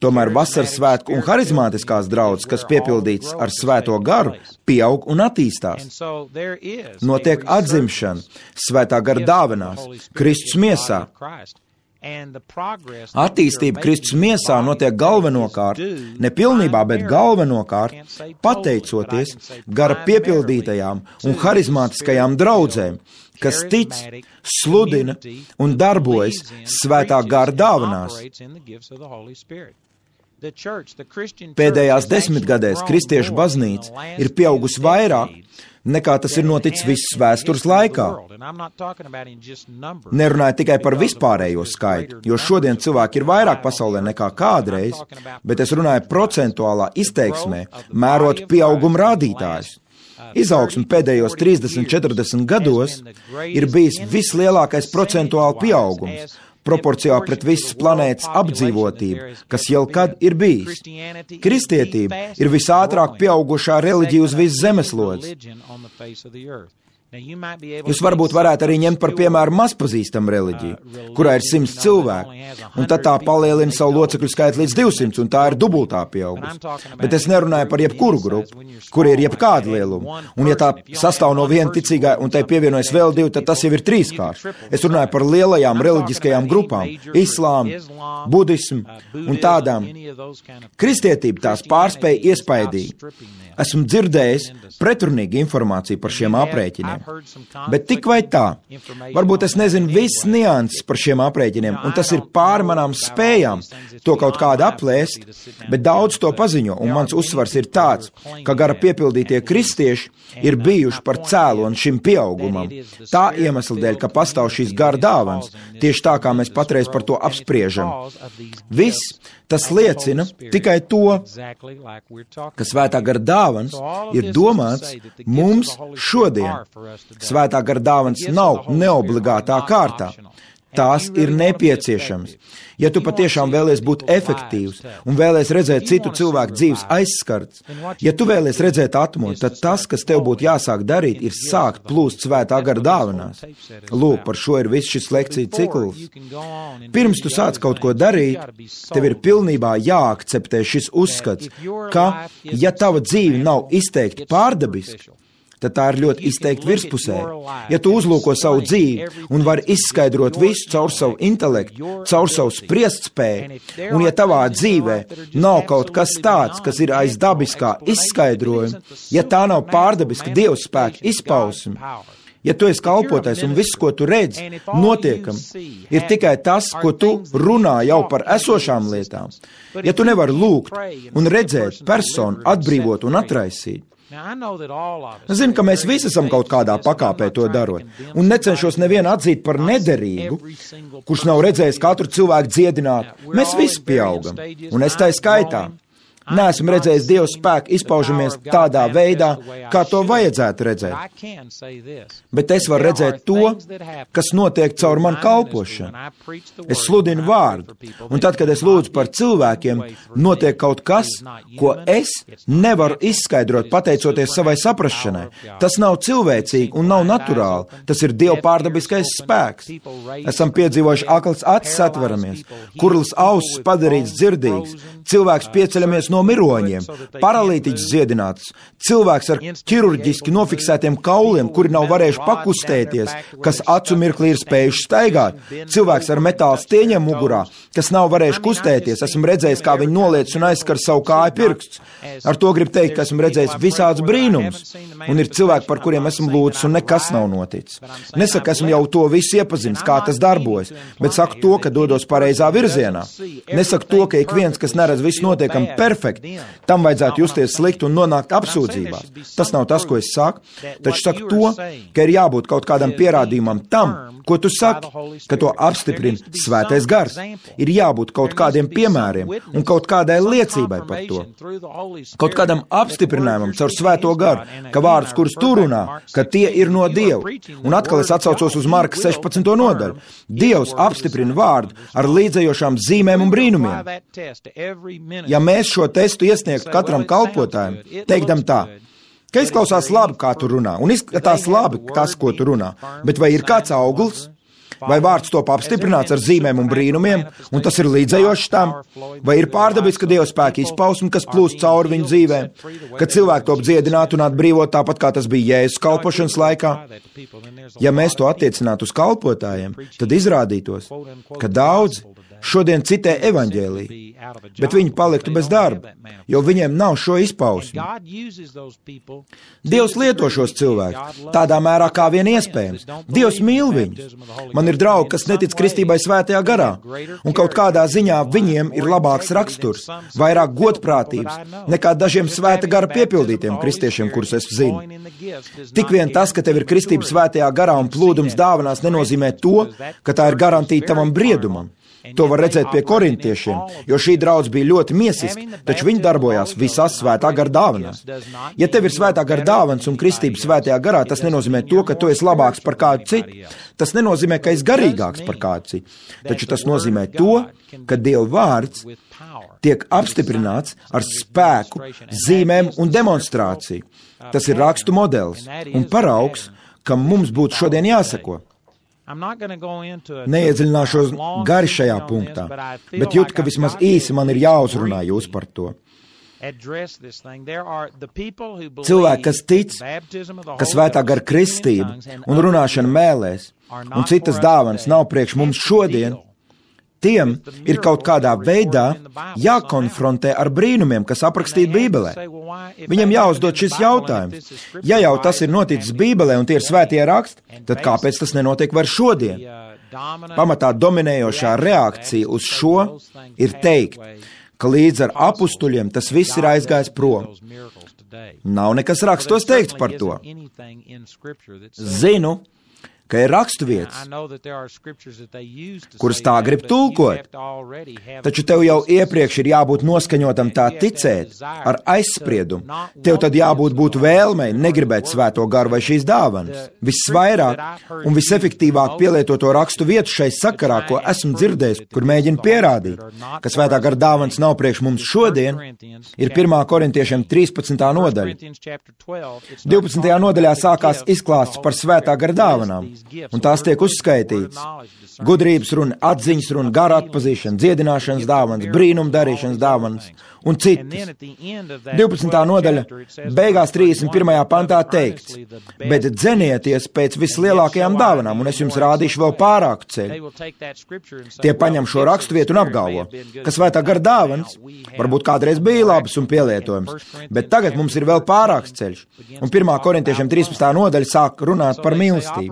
Tomēr vasaras svētku un harizmātiskās draudzes, kas piepildīts ar svēto garu, pieaug un attīstās. Notiek atzimšana svētā gara dāvanās, Kristus miesā. Attīstība Kristus miesā notiek galvenokārt, ne pilnībā, bet galvenokārt, pateicoties gara piepildītajām un harizmātiskajām draudzēm, kas tic, sludina un darbojas svētā gara dāvanās. Pēdējās desmitgadēs kristiešu baznīca ir pieaugusi vairāk, nekā tas ir noticis visas vēstures laikā. Nerunāju tikai par vispārējo skaitu, jo šodien cilvēki ir vairāk pasaulē nekā kādreiz, bet es runāju procentuālā izteiksmē, mērot pieauguma rādītājus. Izaugsme pēdējos 30-40 gados ir bijis vislielākais procentuāli pieaugums. proporcijā pret visas planētas apdzīvotību, kas jau kad ir bijis. Kristietība ir visātrāk pieaugušā reliģija uz visas zemeslodes. Jūs varbūt varētu arī ņemt par piemēru mazpazīstamu reliģiju, kurā ir 100 cilvēku, un tad tā palielina savu locekļu skaitu līdz 200, un tā ir dubultā pieaugusi. Bet es nerunāju par jebkuru grupu, kur ir jebkāda lieluma, un ja tā sastāv no viena ticīgā, un tai pievienojas vēl 2, tad tas jau ir 3-kārš. Es runāju par lielajām reliģiskajām grupām, islāmu, budismu un tādām. Kristietība tās pārspēja iespaidīgi. Esmu dzirdējis pretrunīgu informāciju par šiem aprēķiniem. Bet tik vai tā, varbūt es nezinu visas nianses par šiem aprēķiniem, un tas ir pāri manām spējām to kaut kādu aplēst, bet daudz to paziņo, un mans uzsvars ir tāds, ka gara piepildītie kristieši ir bijuši par cēloni šim pieaugumam. Tā iemesla dēļ, ka pastāv šīs gara dāvanas, tieši tā, kā mēs patreiz par to apspriežam. Viss tas liecina tikai to, ka svētā gara dāvanas ir domāts mums šodien. Svētā gara dāvanas nav neobligātā kārtā. Tās ir nepieciešamas. Ja tu patiešām vēlies būt efektīvs un vēlies redzēt citu cilvēku dzīves aizskarts, ja tu vēlies redzēt atmodu, tad tas, kas tev būtu jāsāk darīt, ir sākt plūst svētā gara dāvanās. Lūk, par šo ir viss šis lekciju cikls. Pirms tu sāc kaut ko darīt, tev ir pilnībā jāakceptē šis uzskats, ka, ja tava dzīve nav izteikti pārdabiska, tad tā ir ļoti izteikti virspusē. Ja tu uzlūko savu dzīvi un vari izskaidrot visu caur savu intelektu, caur savu spriestspēju, un ja tavā dzīvē nav kaut kas tāds, kas ir aiz dabiskā izskaidrojuma, ja tā nav pārdabiska Dieva spēka izpausme, ja tu esi kalpotais un viss, ko tu redzi, notiekam, ir tikai tas, ko tu runā jau par esošām lietām. Ja tu nevari lūgt un redzēt personu atbrīvot un atraisīt, es zinu, ka mēs visi esam kaut kādā pakāpē to darot, un necenšos nevienu atzīt par nederīgu, kurš nav redzējis katru cilvēku dziedināt. Mēs visi pieaugam, un es tai skaitā. Neesmu redzējis Dieva spēku izpaužamies tādā veidā, kā to vajadzētu redzēt. Bet es varu redzēt to, kas notiek caur manu kalpošanu. Es sludinu vārdu, un tad, kad es lūdzu par cilvēkiem, notiek kaut kas, ko es nevaru izskaidrot pateicoties savai saprašanai. Tas nav cilvēcīgi un nav naturāli. Tas ir Dieva pārdabiskais spēks. Esam piedzīvojuši akls acis atveramies, kurls ausis padarīts dzirdīgs, cilvēks pieceļamies no miroņiem, paralītiķis dziedināts, cilvēks ar ķirurģiski nofiksētiem kauliem, kuri nav varējuši pakustēties, kas acu mirklī ir spējuši staigāt, cilvēks ar metāla stieņiem mugurā, kas nav varējuši kustēties, esmu redzējis, kā viņi noliec un aizskar savu kāju pirksts. Ar to gribu teikt, ka esmu redzējis visādus brīnumus, un ir cilvēki, par kuriem esmu lūdzis, un nekas nav noticis. Nesaku, esmu jau to visu iepazinis, kā tas darbojas, bet saku to, ka dodos pareizā virzienā. Nesaku to, ka ik viens, kas neredz visu notiekam perfekti, tam vajadzētu justies slikti un nonākt apsūdzībās. Tas nav tas, ko es saku, taču saku to, ka ir jābūt kaut kādam pierādījumam tam, ko tu saki, ka to apstiprina Svētais Gars. Ir jābūt kaut kādiem piemēriem un kaut kādai liecībai par to. Kaut kādam apstiprinājumam caur Svēto Garu, ka vārdus, kurus tu runā, ka tie ir no Dieva. Un atkal es atsaucos uz Marka 16. nodaļu. Dievs apstiprina vārdu ar līdzējošām zīmēm un brīnumiem. Ja mēs šo testu iesniegtu katram kalpotājam, teikdam tā, ka izklausās labi, kā tu runā, un izskatās labi tas, ko tu runā, bet vai ir kāds auglis? Vai vārds top apstiprināts ar zīmēm un brīnumiem, un tas ir līdzējošs tam? Vai ir pārdabiska Dieva spēka izpausme, kas plūst cauri viņu dzīvēm, kad cilvēki top dziedināt un atbrīvot tāpat, kā tas bija Jēzus kalpošanas laikā? Ja mēs to attiecinātu uz kalpotājiem, tad izrādītos, ka daudzi šodien citē evaņģēliju, bet viņi paliktu bez darba, jo viņiem nav šo izpausmi. Dievs lieto šos cilvēkus tādā mērā, kā vien iespējams. Dievs mīl viņus. Man ir draugi, kas netic kristībai Svētajā Garā, un kaut kādā ziņā viņiem ir labāks raksturs, vairāk godprātības nekā dažiem Svēta Gara piepildītiem kristiešiem, kurus es zinu. Tik vien tas, ka tev ir kristība Svētajā Garā un plūdums dāvanās, nenozīmē to, ka tā ir garantīta tavam briedumam. To var redzēt pie korintiešiem, jo šī draudz bija ļoti miesiska, taču viņi darbojās visās svētā gara dāvanās. Ja tev ir svētā gara dāvans un kristība svētajā garā, tas nenozīmē to, ka tu esi labāks par kādu citu. Tas nenozīmē, ka esi garīgāks par kādu citu. Taču tas nozīmē to, ka Dieva vārds tiek apstiprināts ar spēku, zīmēm un demonstrāciju. Tas ir rakstu modelis un paraugs, kam mums būtu šodien jāsako. Neiedziļināšos gari šajā punktā, bet jūtu, ka vismaz īsi man ir jāuzrunā jūs par to. Cilvēki, kas tic, ka svētā gara kristība un runāšana mēlēs un citas dāvanas nav priekš mums šodien, tiem ir kaut kādā veidā jākonfrontē ar brīnumiem, kas aprakstīti Bībelē. Viņam jāuzdod šis jautājums. Ja jau tas ir noticis Bībelē un tie ir svētie raksti, tad kāpēc tas nenotiek vairs šodien? Pamatā dominējošā reakcija uz šo ir teikt, ka līdz ar apustuļiem tas viss ir aizgājis prom. Nav nekas rakstos teikts par to. Zinu, ka ir raksturvietas, kuras tā grib tulkot, taču tev jau iepriekš ir jābūt noskaņotam tā ticēt ar aizspriedumu. Tev tad jābūt vēlmei negribēt svēto garu vai šīs dāvanas. Visvairāk un visefektīvāk pielietoto rakstu vietu šai sakarā, ko esmu dzirdējis, kur mēģina pierādīt, ka svētā gara dāvanas nav priekš mums šodien, ir 1. korintiešiem 13. nodaļa. 12. nodaļā sākās izklāsts par svētā gara dāvanām. Un tās tiek uzskaitītas. Gudrības runa, atziņas runa, gara atpazīšana, dziedināšanas dāvanas, brīnuma darīšanas dāvanas un citas. 12. nodaļa beigās 31. pantā teikts, bet dzenieties pēc vislielākajām dāvanām, un es jums rādīšu vēl pārāku ceļu. Tie paņem šo raksturvietu un apgalvo, ka svētā gara dāvanas varbūt kādreiz bija labas un pielietojums, bet tagad mums ir vēl pārāks ceļš. Un 1. korintiešiem 13. nodaļa sāk runāt par mīlestību.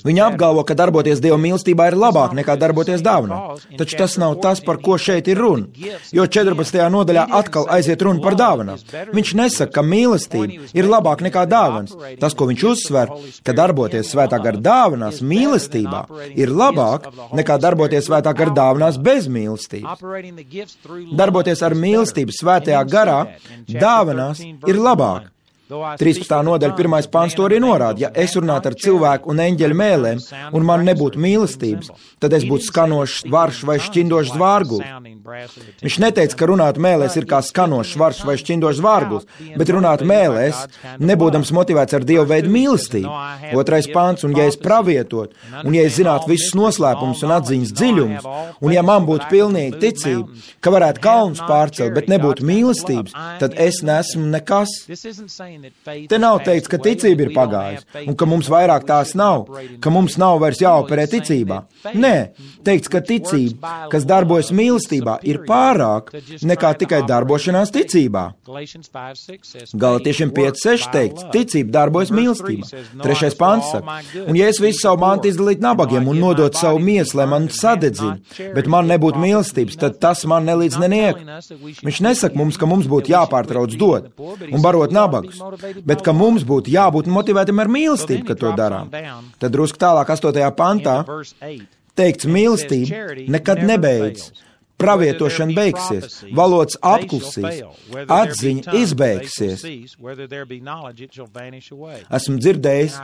Viņi apgalvo, ka darboties Dieva mīlestībā ir labāk nekā darboties dāvanā. Taču tas nav tas, par ko šeit ir runa, jo 14. nodaļā atkal aiziet runa par dāvanām. Viņš nesaka, ka mīlestība ir labāk nekā dāvanas. Tas, ko viņš uzsver, ka darboties svētā gara dāvanās mīlestībā ir labāk nekā darboties svētā gara dāvanās bez mīlestības. Darboties ar mīlestību svētajā garā dāvanās ir labāk. 13. nodaļa 1. pants to arī norāda. Ja es runātu ar cilvēku un eņģeļu mēlēm, un man nebūtu mīlestības, tad es būtu skanošs varš vai šķindošs zvārguls. Viņš neteica, ka runāt mēlēs ir kā skanošs varš vai šķindošs zvārguls, bet runāt mēlēs, nebūdams motivēts ar Dievu veidu mīlestību. 2. pants, un ja es pravietot, un ja es zinātu visus noslēpumus un atziņas dziļumus, un ja man būtu pilnīga ticība, ka varētu kalnus pārcelt, bet nebūtu mīlestības, tad es nesmu nekas. Te nav teikts, ka ticība ir pagājusi, un ka mums vairāk tās nav, ka mums nav vairs jāoperē ticībā. Nē, teikts, ka ticība, kas darbojas mīlestībā, ir pārāk nekā tikai darbošanās ticībā. Galatiešiem 5.6 teikts, ticība darbojas mīlestībā. 3. pants saka, un ja es visu savu mantu izdalītu nabagiem un nodot savu miesu, lai man sadedzina, bet man nebūtu mīlestības, tad tas man nelīdz neniek. Viņš nesaka mums, ka mums būtu jāpārtrauc dot un barot nabagus, bet ka mums būtu jābūt motivētam ar mīlestību, ka to darām. Tad drusku tālāk 8. pantā teikts, mīlestība nekad nebeidz. Pravietošana beigsies, valodas apklusīs, atziņa izbeigsies. Esmu dzirdējis,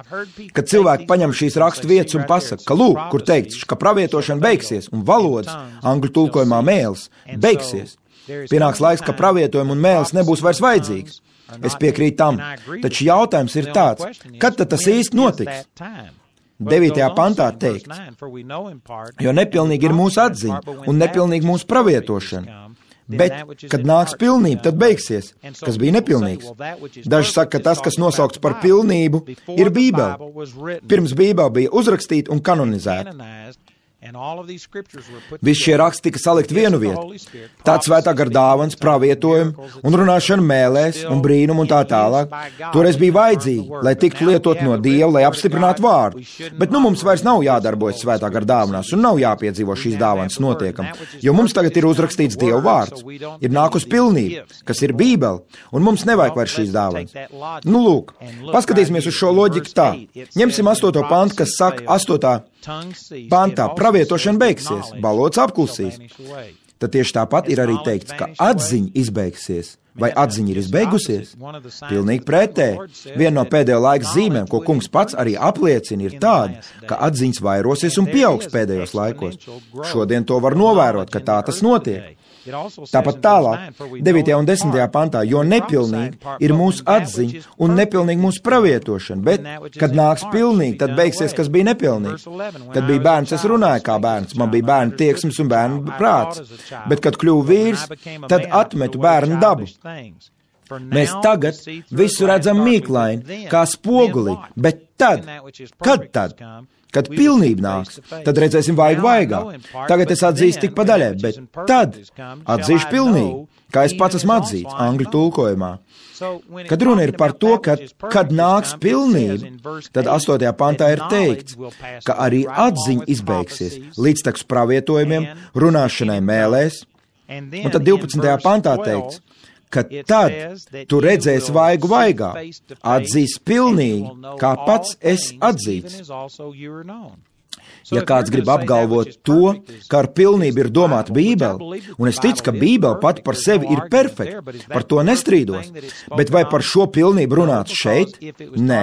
ka cilvēki paņem šīs rakstu vietas un pasaka, ka lūk, kur teikts, ka pravietošana beigsies un valodas, angļu tulkojumā mēls, beigsies. Pienāks laiks, ka pravietojumi un mēls nebūs vairs vajadzīgs. Es piekrītu tam, taču jautājums ir tāds, kad tad tas īsti notiks? 9. pantā teikts, jo nepilnīgi ir mūsu atziņa un nepilnīgi mūsu pravietošana. Bet, kad nāks pilnība, tad beigsies, kas bija nepilnīgs. Daži saka, ka tas, kas nosaukts par pilnību, ir Bībele. Pirms Bībele bija uzrakstīta un kanonizēta. Visi šie raksti tika salikt vienu vietu. Tāds svētā gara dāvans, pravietojumi un runāšana mēlēs un brīnumu un tā tālāk. Toreiz bija vajadzīgi, lai tiktu lietot no Dieva, lai apstiprinātu vārdu. Bet nu mums vairs nav jādarbojas svētā gara dāvanās un nav jāpiedzīvo šīs dāvanas notiekam, jo mums tagad ir uzrakstīts Dieva vārds. Ir nākus pilnība, kas ir Bībele, un mums nevajag vairs šīs dāvanas. Nu lūk, paskatīsimies uz šo loģiku tā. Ņemsim 8. pantu, kas saka 8. pantā pravietošana beigsies, valodas apklusīs. Tad tieši tāpat ir arī teikts, ka atziņa izbeigsies. Vai atziņa ir izbeigusies? Pilnīgi pretēji. Viena no pēdējo laiku zīmēm, ko kungs pats arī apliecina, ir tāda, ka atziņas vairosies un pieaugs pēdējos laikos. Šodien to var novērot, ka tā tas notiek. Tāpat tālāk, 9. un 10. pantā, jo nepilnīgi ir mūsu atziņa un nepilnīgi mūsu pravietošana, bet, kad nāks pilnīgi, tad beigsies, kas bija nepilnīgi. Kad bija bērns, es runāju kā bērns, man bija bērnu tieksmes un bērnu prāts, bet, kad kļuvu vīrs, tad atmetu bērnu dabu. Mēs tagad visu redzam mīklaini, kā spogulī, bet tad, kad pilnība nāks, tad redzēsim vaigu vaigā. Tagad es atzīstu tik pa daļai, bet tad atzīšu pilnīgi, kā es pats esmu atzīts, angļu tulkojumā. Kad runa ir par to, ka, kad nāks pilnība, tad 8. pantā ir teikts, ka arī atziņa izbeigsies līdztekus pravietojumiem, runāšanai mēlēs, un tad 12. pantā teikts, ka tad tu redzēsi vaigu vaigā, atzīs pilnīgi, kā pats esi atzīts. Ja kāds grib apgalvot to, ka ar pilnību ir domāta Bībele, un es ticu, ka Bībele pati par sevi ir perfekta, par to nestrīdos, bet vai par šo pilnību runāts šeit? Nē,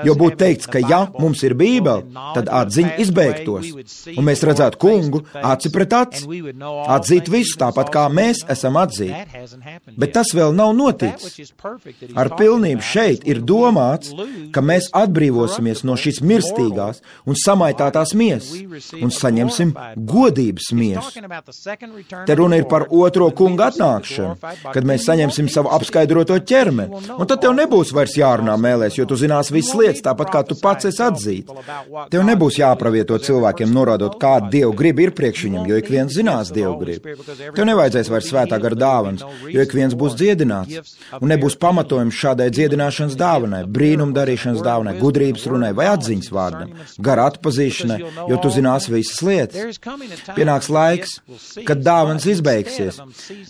jo būtu teikts, ka ja mums ir Bībele, tad atziņa izbeigtos, un mēs redzētu kungu aci pret aci, atzīt visu tāpat, kā mēs esam atzīti. Bet tas vēl nav noticis. Ar pilnību šeit ir domāts, ka mēs atbrīvosimies no šīs mirstīgās un samaitātās miesas un saņemsim godības miesu. Te runa ir par otro kunga atnākšanu, kad mēs saņemsim savu apskaidroto ķermeni, un tad tev nebūs vairs jārunā mēlēs, jo tu zinās visas lietas, tāpat kā tu pats esi atzīts. Tev nebūs jāpravieto cilvēkiem, norādot, kāda Dievu griba ir priekš viņam, jo ik viens zinās Dievu gribu. Tev nevajadzēs vairs svētā gara dāvanas, jo ik viens būs dziedināts, un nebūs pamatojums šādai dziedināšanas dāvanai, brīnumdarīšanas dāvanai, gudrības runai vai atziņas vārdam, gara atpazīšanai, jo tu zinās visas lietas. Pienāks laiks, kad dāvanas izbeigsies,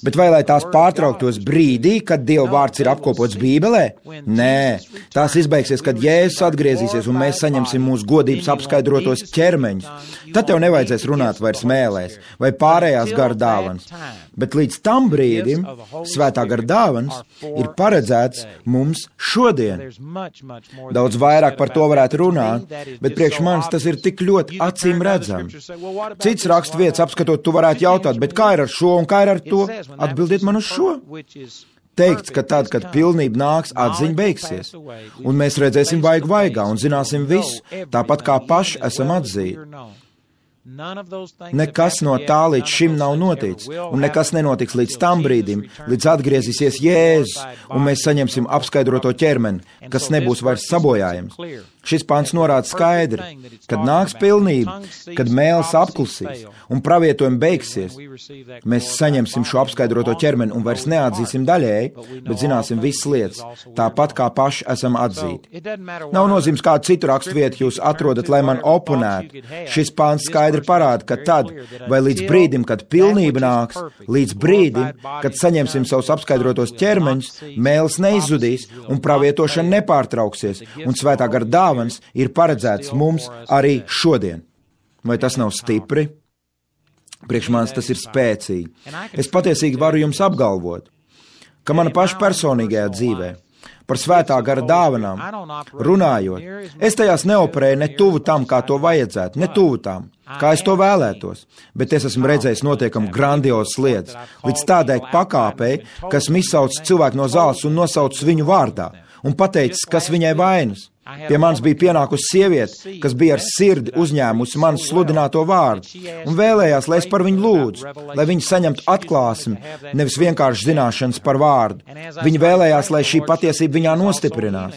bet vai lai tās pārtrauktos brīdī, kad Dieva vārds ir apkopots Bībelē? Nē, tās izbeigsies, kad Jēzus atgriezīsies un mēs saņemsim mūsu godības apskaidrotos ķermeņus. Tad tev nevajadzēs runāt vairs mēlēs vai pārējās gara dāvanas, bet līdz tam brīdim svētā gara dāvanas ir paredzēts mums šodien. Daudz vairāk par to varētu runāt, bet priekš manis tas ir tik ļoti acīm redzam. Cits rakstvietas apskatot, tu varētu jautāt, bet kā ir ar šo un kā ir ar to? Atbildiet man uz šo. Teikts, ka tad, kad pilnība nāks, atziņa beigsies, un mēs redzēsim vaigu vaigā un zināsim visu, tāpat kā paši esam atzīti. Nekas no tā līdz šim nav noticis, un nekas nenotiks līdz tam brīdim, līdz atgriezīsies Jēzus, un mēs saņemsim apskaidroto ķermeni, kas nebūs vairs sabojājams. Šis pants norāda skaidri, kad nāks pilnība, kad mēls apklusīs un pravietojumi beigsies, mēs saņemsim šo apskaidroto ķermeni un vairs neatzīsim daļēji, bet zināsim visas lietas, tāpat kā paši esam atzīti. Nav nozīmes kādu citu rakstvietu jūs atrodat, lai man oponētu. Šis pants skaidri parāda, ka tad, vai līdz brīdim, kad pilnība nāks, līdz brīdim, kad saņemsim savus apskaidrotos ķermeņus, mēls neizzudīs un pravietošana nepārtrauksies, un svētā gara dāvana ir paredzēts mums arī šodien. Vai tas nav stipri? Priekš manis tas ir spēcīgi. Es patiesīgi varu jums apgalvot, ka mana paša personīgajā dzīvē par svētā gara dāvanām runājot, es tajās neoperēju ne tuvu tam, kā to vajadzētu, ne tuvu tam, kā es to vēlētos, bet es esmu redzējis notiekam grandiozas lietas, līdz tādai pakāpei, kas izsauc cilvēku no zāles un nosauc viņu vārdā un pateicis, kas viņai vainas. Pie manis bija pienākusi sieviete, kas bija ar sirdi uzņēmusi manas sludināto vārdu un vēlējās, lai es par viņu lūdzu, lai viņa saņemtu atklāsmi, nevis vienkārši zināšanas par vārdu. Viņa vēlējās, lai šī patiesība viņā nostiprinās.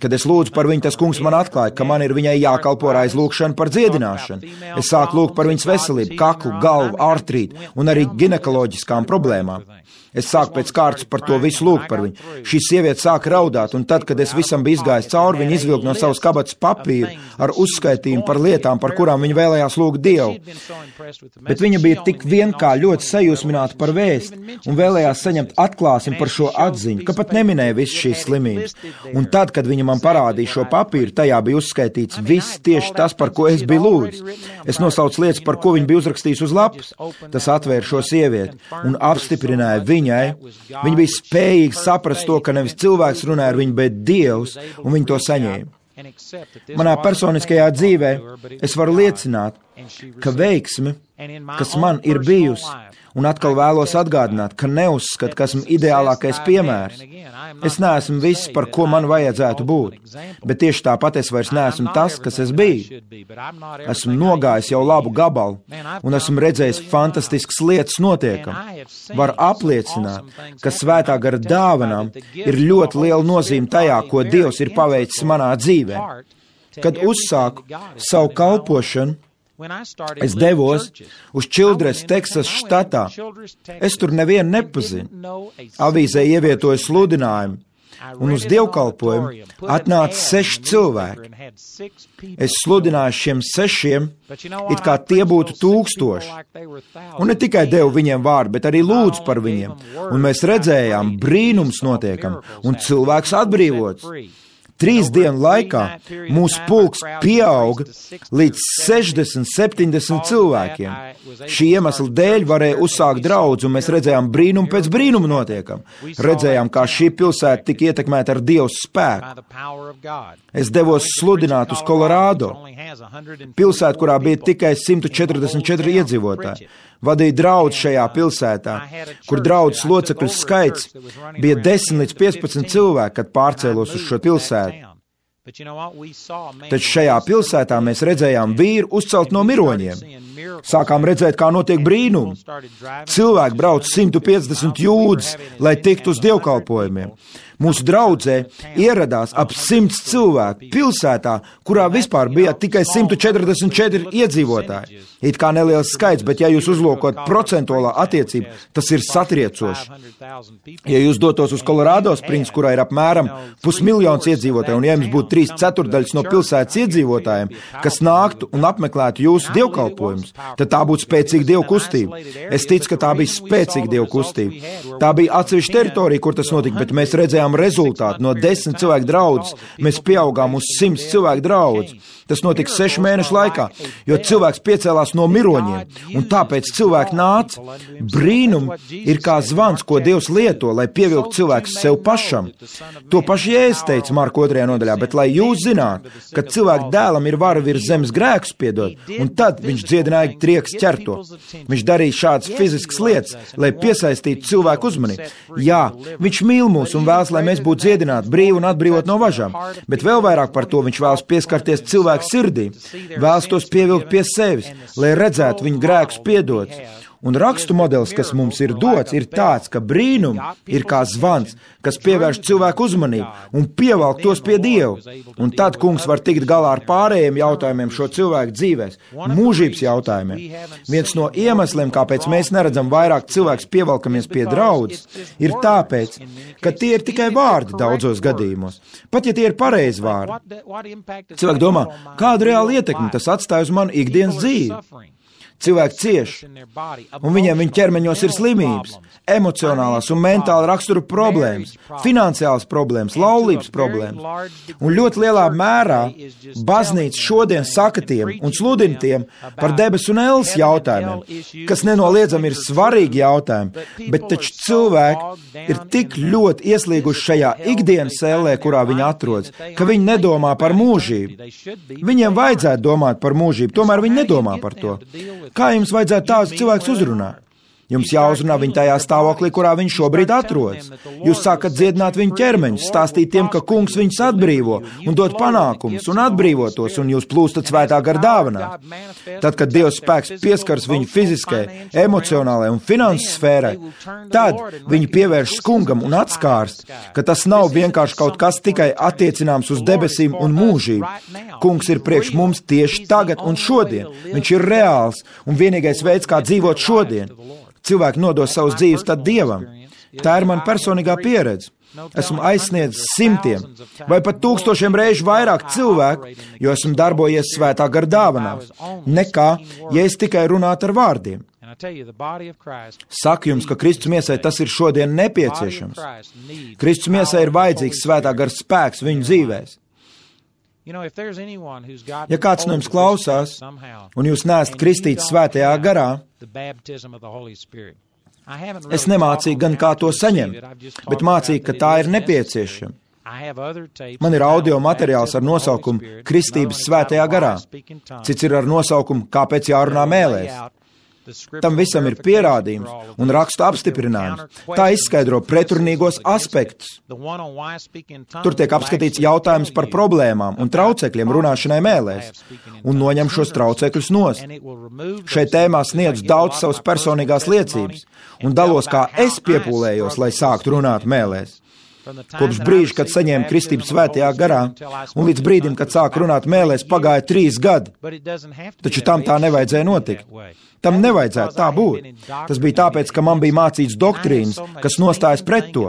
Kad es lūdzu par viņu, tas kungs man atklāja, ka man ir viņai jākalpo ar aizlūgšanu par dziedināšanu. Es sāku lūgt par viņas veselību, kaklu, galvu, artrītu un arī ginekoloģiskām problēmām. Es sāku pēc kārtas par to visu lūgt par viņu. Šī sieviete sāka raudāt, un tad, kad es visam biju izgājis cauri, viņa viņi izvilka no savas kabatas papīru ar uzskaitījumu par lietām, par kurām viņi vēlējās lūgt Dievu. Bet viņa bija tik ļoti sajūsmināta par vēsti un vēlējās saņemt atklāsmi par šo atziņu, ka pat neminēja visas šīs slimības. Un tad, kad viņa man parādīja šo papīru, tajā bija uzskaitīts viss tieši tas, par ko es biju lūdzis. Es nosaucu lietas, par ko viņa bija uzrakstījis uz lapas. Tas atvēra šo sievieti un apstiprināja viņai. Viņa bija spējīga saprast to, ka nevis cilvēks runāja ar viņu, bet Dievs, un viņa to saņēma. Manā personiskajā dzīvē es varu liecināt, ka veiksme, kas man ir bijusi, un atkal vēlos atgādināt, ka neuzskatu, ka esmu ideālākais piemērs. Es neesmu viss, par ko man vajadzētu būt, bet tieši tāpat es vairs neesmu tas, kas es biju. Esmu nogājis jau labu gabalu, un esmu redzējis fantastiskas lietas notiekam. Varu apliecināt, ka svētā gara dāvanām ir ļoti liela nozīme tajā, ko Dievs ir paveicis manā dzīvē. Kad uzsāku savu kalpošanu, es devos uz Childress, Teksas štatā. Es tur nevienu nepazinu. Avīzē ievietoju sludinājumu, un uz dievkalpojumu atnāca 6 cilvēki. Es sludināju šiem 6, it kā tie būtu 1000. Un ne tikai devu viņiem vārdu, bet arī lūdzu par viņiem. Un mēs redzējām, brīnums notiekam, un cilvēks atbrīvots. 3 dienu laikā mūsu pulks pieauga līdz 60-70 cilvēkiem. Šī iemesla dēļ varēja uzsākt draudzi, un mēs redzējām brīnumu pēc brīnuma notiekam. Redzējām, kā šī pilsēta tika ietekmēta ar Dieva spēku. Es devos sludināt uz Kolorādo, pilsētu, kurā bija tikai 144 iedzīvotāji. Vadīja draudzi šajā pilsētā, kur draudzes locekļu skaits bija 10 līdz 15 cilvēki, kad pārcēlos uz šo pilsētu. Taču šajā pilsētā mēs redzējām vīru uzcelt no miroņiem. Sākām redzēt, kā notiek brīnumi. Cilvēki brauc 150 jūdzes, lai tiktu uz dievkalpojumiem. Mūsu draudzē ieradās ap 100 cilvēku pilsētā, kurā vispār bija tikai 144 iedzīvotāji. It kā neliels skaits, bet ja jūs uzlūkot procentuālā attiecību, tas ir satriecoši. Ja jūs dotos uz Colorado Springs, kurā ir apmēram 500 000 iedzīvotāju, un ja jums būtu 3/4 no pilsētas iedzīvotājiem, kas nāktu un apmeklētu jūsu dievkalpojumus, tad tā būtu spēcīga dievu kustība. Es ticu, ka tā bija spēcīga dievu kustība. Tā bija atsevišķa teritorija, kur tas notika, bet mēs redzējām rezultātu. No 10 cilvēku draudzes mēs pieaugām uz 100 cilvēku draudzes. Tas notika 6 mēnešu laikā, jo cilvēks piecēlās no miroņiem, un tāpēc cilvēki nāca. Brīnumi ir kā zvans, ko Dievs lieto, lai pievilktu cilvēkus sev pašam. To pašu Jēzus teica Marka 2. nodaļā, bet lai jūs zināt, ka cilvēku dēlam ir vara virs zemes grēkus piedot, un tad viņš dziedināja trieks ķerto. Viņš darīja šādas fiziskas lietas, lai piesaistītu cilvēku uzmanību. Jā, viņš mīl mūs un vēlas, lai mēs būtu dziedināti, brīvi un atbrīvot no važām, bet vēl vairāk par to viņš vēlas pieskarties cilvēku sirdī, vēlas tos pievilkt pie sevis, lai redzētu viņu grēkus piedots. Un rakstu modelis, kas mums ir dots, ir tāds, ka brīnumi ir kā zvans, kas pievērš cilvēku uzmanību un pievelk tos pie Dieva. Un tad kungs var tikt galā ar pārējiem jautājumiem šo cilvēku dzīvēs, mūžības jautājumiem. Viens no iemesliem, kāpēc mēs neredzam vairāk cilvēks pievelkamies pie draudzes, ir tāpēc, ka tie ir tikai vārdi daudzos gadījumos. Pat ja tie ir pareizi vārdi. Cilvēki domā, kādu reālu ietekmi tas atstāj uz manu ikdienas dzīvi. Cilvēki cieš, un viņiem viņa ķermeņos ir slimības, emocionālās un mentāla rakstura problēmas, finansiālas problēmas, laulības problēmas. Un ļoti lielā mērā baznīca šodien saka tiem un sludina tiem par debesu un elles jautājumiem, kas nenoliedzami ir svarīgi jautājumi, bet taču cilvēki ir tik ļoti ieslīguši šajā ikdienas ellē, kurā viņi atrodas, ka viņi nedomā par mūžību. Viņiem vajadzētu domāt par mūžību, tomēr viņi nedomā par to. Kā jums vajadzētu tādus cilvēkus uzrunāt? Jums jāuzrunā viņu tajā stāvoklī, kurā viņš šobrīd atrodas. Jūs sākat dziedināt viņu ķermeņus, stāstīt tiem, ka kungs viņus atbrīvo un dod panākumus un atbrīvotos, un jūs plūstat svētā gara dāvanā. Tad, kad Dieva spēks pieskars viņu fiziskai, emocionālai un finanses sfērai, tad viņi pievērš kungam un atskārst, ka tas nav vienkārši kaut kas tikai attiecināms uz debesīm un mūžību. Kungs ir priekš mums tieši tagad un šodien. Viņš ir reāls un vienīgais veids, kā dzīvot šodien. Cilvēki nodos savus dzīves tad Dievam. Tā ir mana personīgā pieredze. Esmu aizsniedzis simtiem vai pat tūkstošiem reižu vairāk cilvēku, jo esmu darbojies svētā gara dāvanās, nekā, ja es tikai runātu ar vārdiem. Saku jums, ka Kristus miesai tas ir šodien nepieciešams. Kristus miesai ir vajadzīgs svētā gara spēks viņu dzīvēs. Ja kāds no jums klausās, un jūs neesat kristīts svētajā garā, es nemācīju gan kā to saņemt, bet mācīju, ka tā ir nepieciešama. Man ir audio materiāls ar nosaukumu Kristības svētajā garā. Cits ir ar nosaukumu Kāpēc jārunā mēlēs. Tam visam ir pierādījums un rakstu apstiprinājums. Tā izskaidro pretrunīgos aspektus. Tur tiek apskatīts jautājums par problēmām un traucekļiem runāšanai mēlēs un noņem šos traucekļus nost. Šai tēmā sniedzu daudz savas personīgās liecības un dalos, kā es piepūlējos, lai sāktu runāt mēlēs. Kopš brīža, kad saņēmu kristību svētajā garā, un līdz brīdim, kad sāku runāt mēlēs, pagāja 3 gadi. Taču tam tā nevajadzēja notikt. Tam nevajadzētu tā būt. Tas bija tāpēc, ka man bija mācīts doktrīnas, kas nostājas pret to.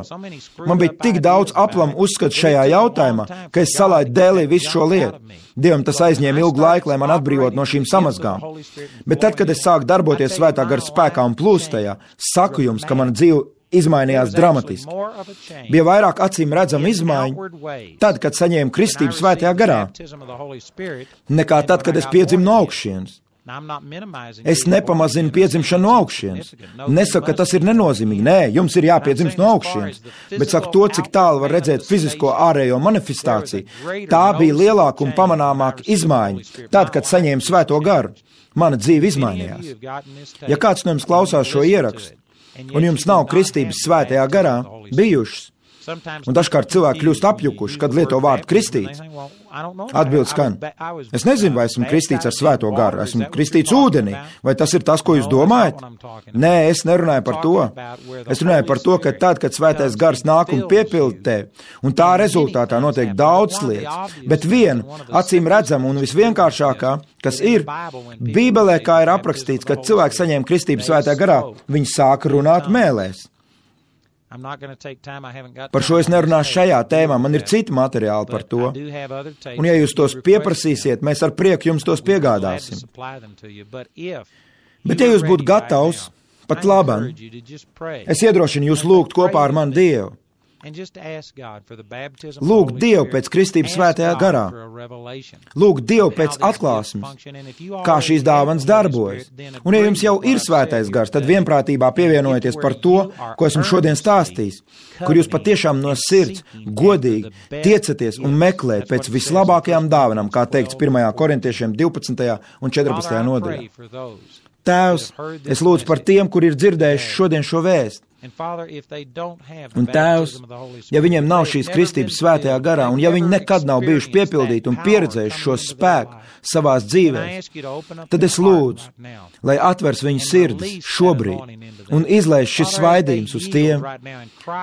Man bija tik daudz aplamu uzskatu šajā jautājumā, ka es salaidu dēlī visu šo lietu. Dievam tas aizņēma ilgu laiku, lai man atbrīvot no šīm samazgām. Bet tad, kad es sāku darboties svētā gara spēkā un plūst tajā, saku jums, ka mana dzīve izmainījās dramatiski. Bija vairāk acīm redzama izmaiņa tad, kad saņēmu kristību svētajā garā, nekā tad, kad es piedzimu no augšienes. Es nepamazinu piedzimšanu no augšienes. Nesaku, ka tas ir nenozīmīgi. Nē, jums ir jāpiedzimst no augšienes. Bet saku to, cik tālu var redzēt fizisko ārējo manifestāciju. Tā bija lielāka un pamanāmāka izmaiņa tad, kad saņēmu svēto garu. Mana dzīve izmainījās. Ja kāds no jums klausās šo ierakstu, un jums nav kristības svētajā garā bijušas, un dažkārt cilvēki kļūst apjukuši, kad lieto vārdu kristīts, atbildes skan: es nezinu, vai esmu kristīts ar svēto garu, esmu kristīts ūdenī, vai tas ir tas, ko jūs domājat? Nē, es nerunāju par to. Es runāju par to, ka tad, kad svētais gars nāk un piepilda tevi, un tā rezultātā notiek daudz lietas, bet viena, acīm redzama un visvienkāršākā, kas ir, Bībelē, kā ir aprakstīts, kad cilvēks saņēma kristību svētajā garā, viņi sāka runāt mēlēs. Par šo es nerunāšu šajā tēmā, man ir citi materiāli par to. Un ja jūs tos pieprasīsiet, mēs ar prieku jums tos piegādāsim. Bet ja jūs būtu gatavs, pat labam, es iedrošinu jūs lūgt kopā ar mani Dievu. Lūgt Dievu pēc kristības svētajā garā. Lūgt Dievu pēc atklāsmes, kā šīs dāvanas darbojas. Un ja jums jau ir svētais gars, tad vienprātībā pievienojieties par to, ko esmu šodien stāstījis, kur jūs patiešām no sirds, godīgi tiecaties un meklēt pēc vislabākajām dāvanām, kā teikts 1. Korintiešiem 12. un 14. nodaļā. Tēvs, es lūdzu par tiem, kur ir dzirdējuši šodien šo vēstu. Un Tēvs, ja viņiem nav šīs kristības svētajā garā, un ja viņi nekad nav bijuši piepildīti un pieredzējuši šo spēku savās dzīvēs, tad es lūdzu, lai atvers viņu sirdis šobrīd un izlaiž šis svaidījums uz tiem.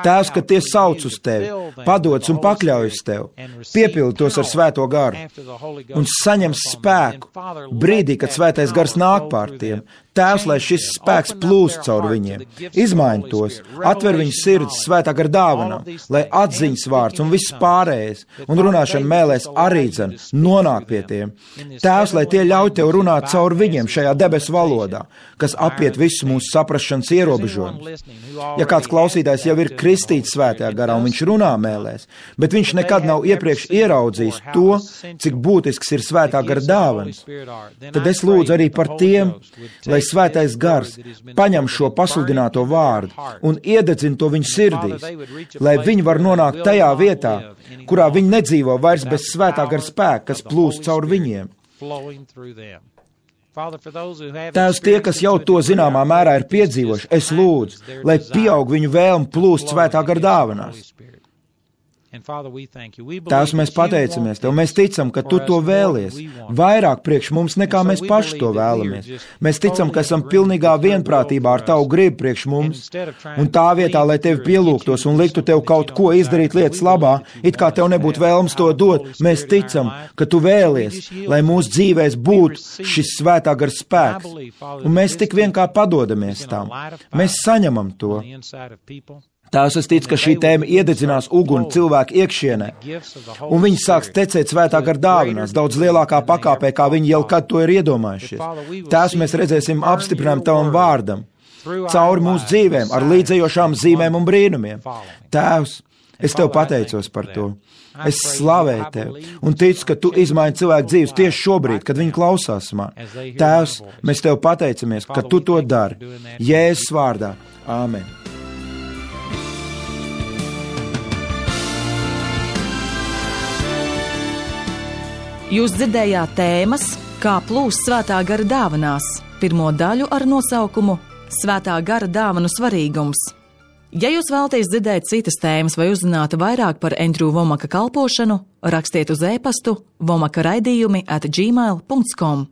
Tēvs, kad tie sauc uz tevi, padodas un pakļaujas tev, piepildi tos ar svēto garu un saņem spēku brīdī, kad svētais gars nāk pār tiem. Tēvs, lai šis spēks plūst caur viņiem, izmaini tos, atver viņu sirdis svētā gara dāvanām, lai atziņas vārds un viss pārējais un runāšana mēlēs arī dzen nonāk pie tiem. Tēvs, lai tie ļauj tev runāt caur viņiem šajā debesu valodā, kas apiet visu mūsu saprašanas ierobežojumus. Ja kāds klausītājs jau ir kristīts svētajā garā un viņš runā mēlēs, bet viņš nekad nav iepriekš ieraudzījis to, cik būtisks ir svētā gara dāvanas, tad es lūdzu arī par tiem, lai svētais gars paņem šo pasludināto vārdu un iededzina to viņu sirdīs, lai viņi var nonākt tajā vietā, kurā viņi nedzīvo vairs bez svētā gara spēka, kas plūst caur viņiem. Tēvs, tie, kas jau to zināmā mērā ir piedzīvojuši, es lūdzu, lai pieaug viņu vēlme plūst svētā gara dāvanās. Tēvs, mēs pateicamies Tev, mēs ticam, ka Tu to vēlies, vairāk priekš mums, nekā mēs paši to vēlamies. Mēs ticam, ka esam pilnīgā vienprātībā ar Tavu gribu priekš mums, un tā vietā, lai Tevi pielūgtos un liktu Tev kaut ko izdarīt lietas labā, it kā Tev nebūtu vēlams to dot, mēs ticam, ka Tu vēlies, lai mūsu dzīvēs būtu šis svētā gara spēks, un mēs tik vien kā padodamies tam. Mēs saņemam to. Tēvs, es ticu, ka šī tēma iededzinās uguni cilvēku iekšienē, un viņi sāks tecēt svētā gara dāvanās daudz lielākā pakāpē, kā viņi jau kad to ir iedomājušies. Tēvs, mēs redzēsim apstiprinājumu tavam vārdam, cauri mūsu dzīvēm, ar līdzējošām zīmēm un brīnumiem. Tēvs, es tev pateicos par to. Es slavēju tevi un ticu, ka tu izmaini cilvēku dzīves tieši šobrīd, kad viņi klausās man. Tēvs, mēs tev pateicamies, ka tu to dari. Jēzus vārdā. Āmen. Jūs dzirdējāt tēmas, kā plūst svētā gara dāvanās, pirmo daļu ar nosaukumu Svētā gara dāvanu svarīgums. Ja jūs vēlaties dzirdēt citas tēmas vai uzzināt vairāk par Andrew Womaka kalpošanu, rakstiet uz e-pastu womaka@gmail.com.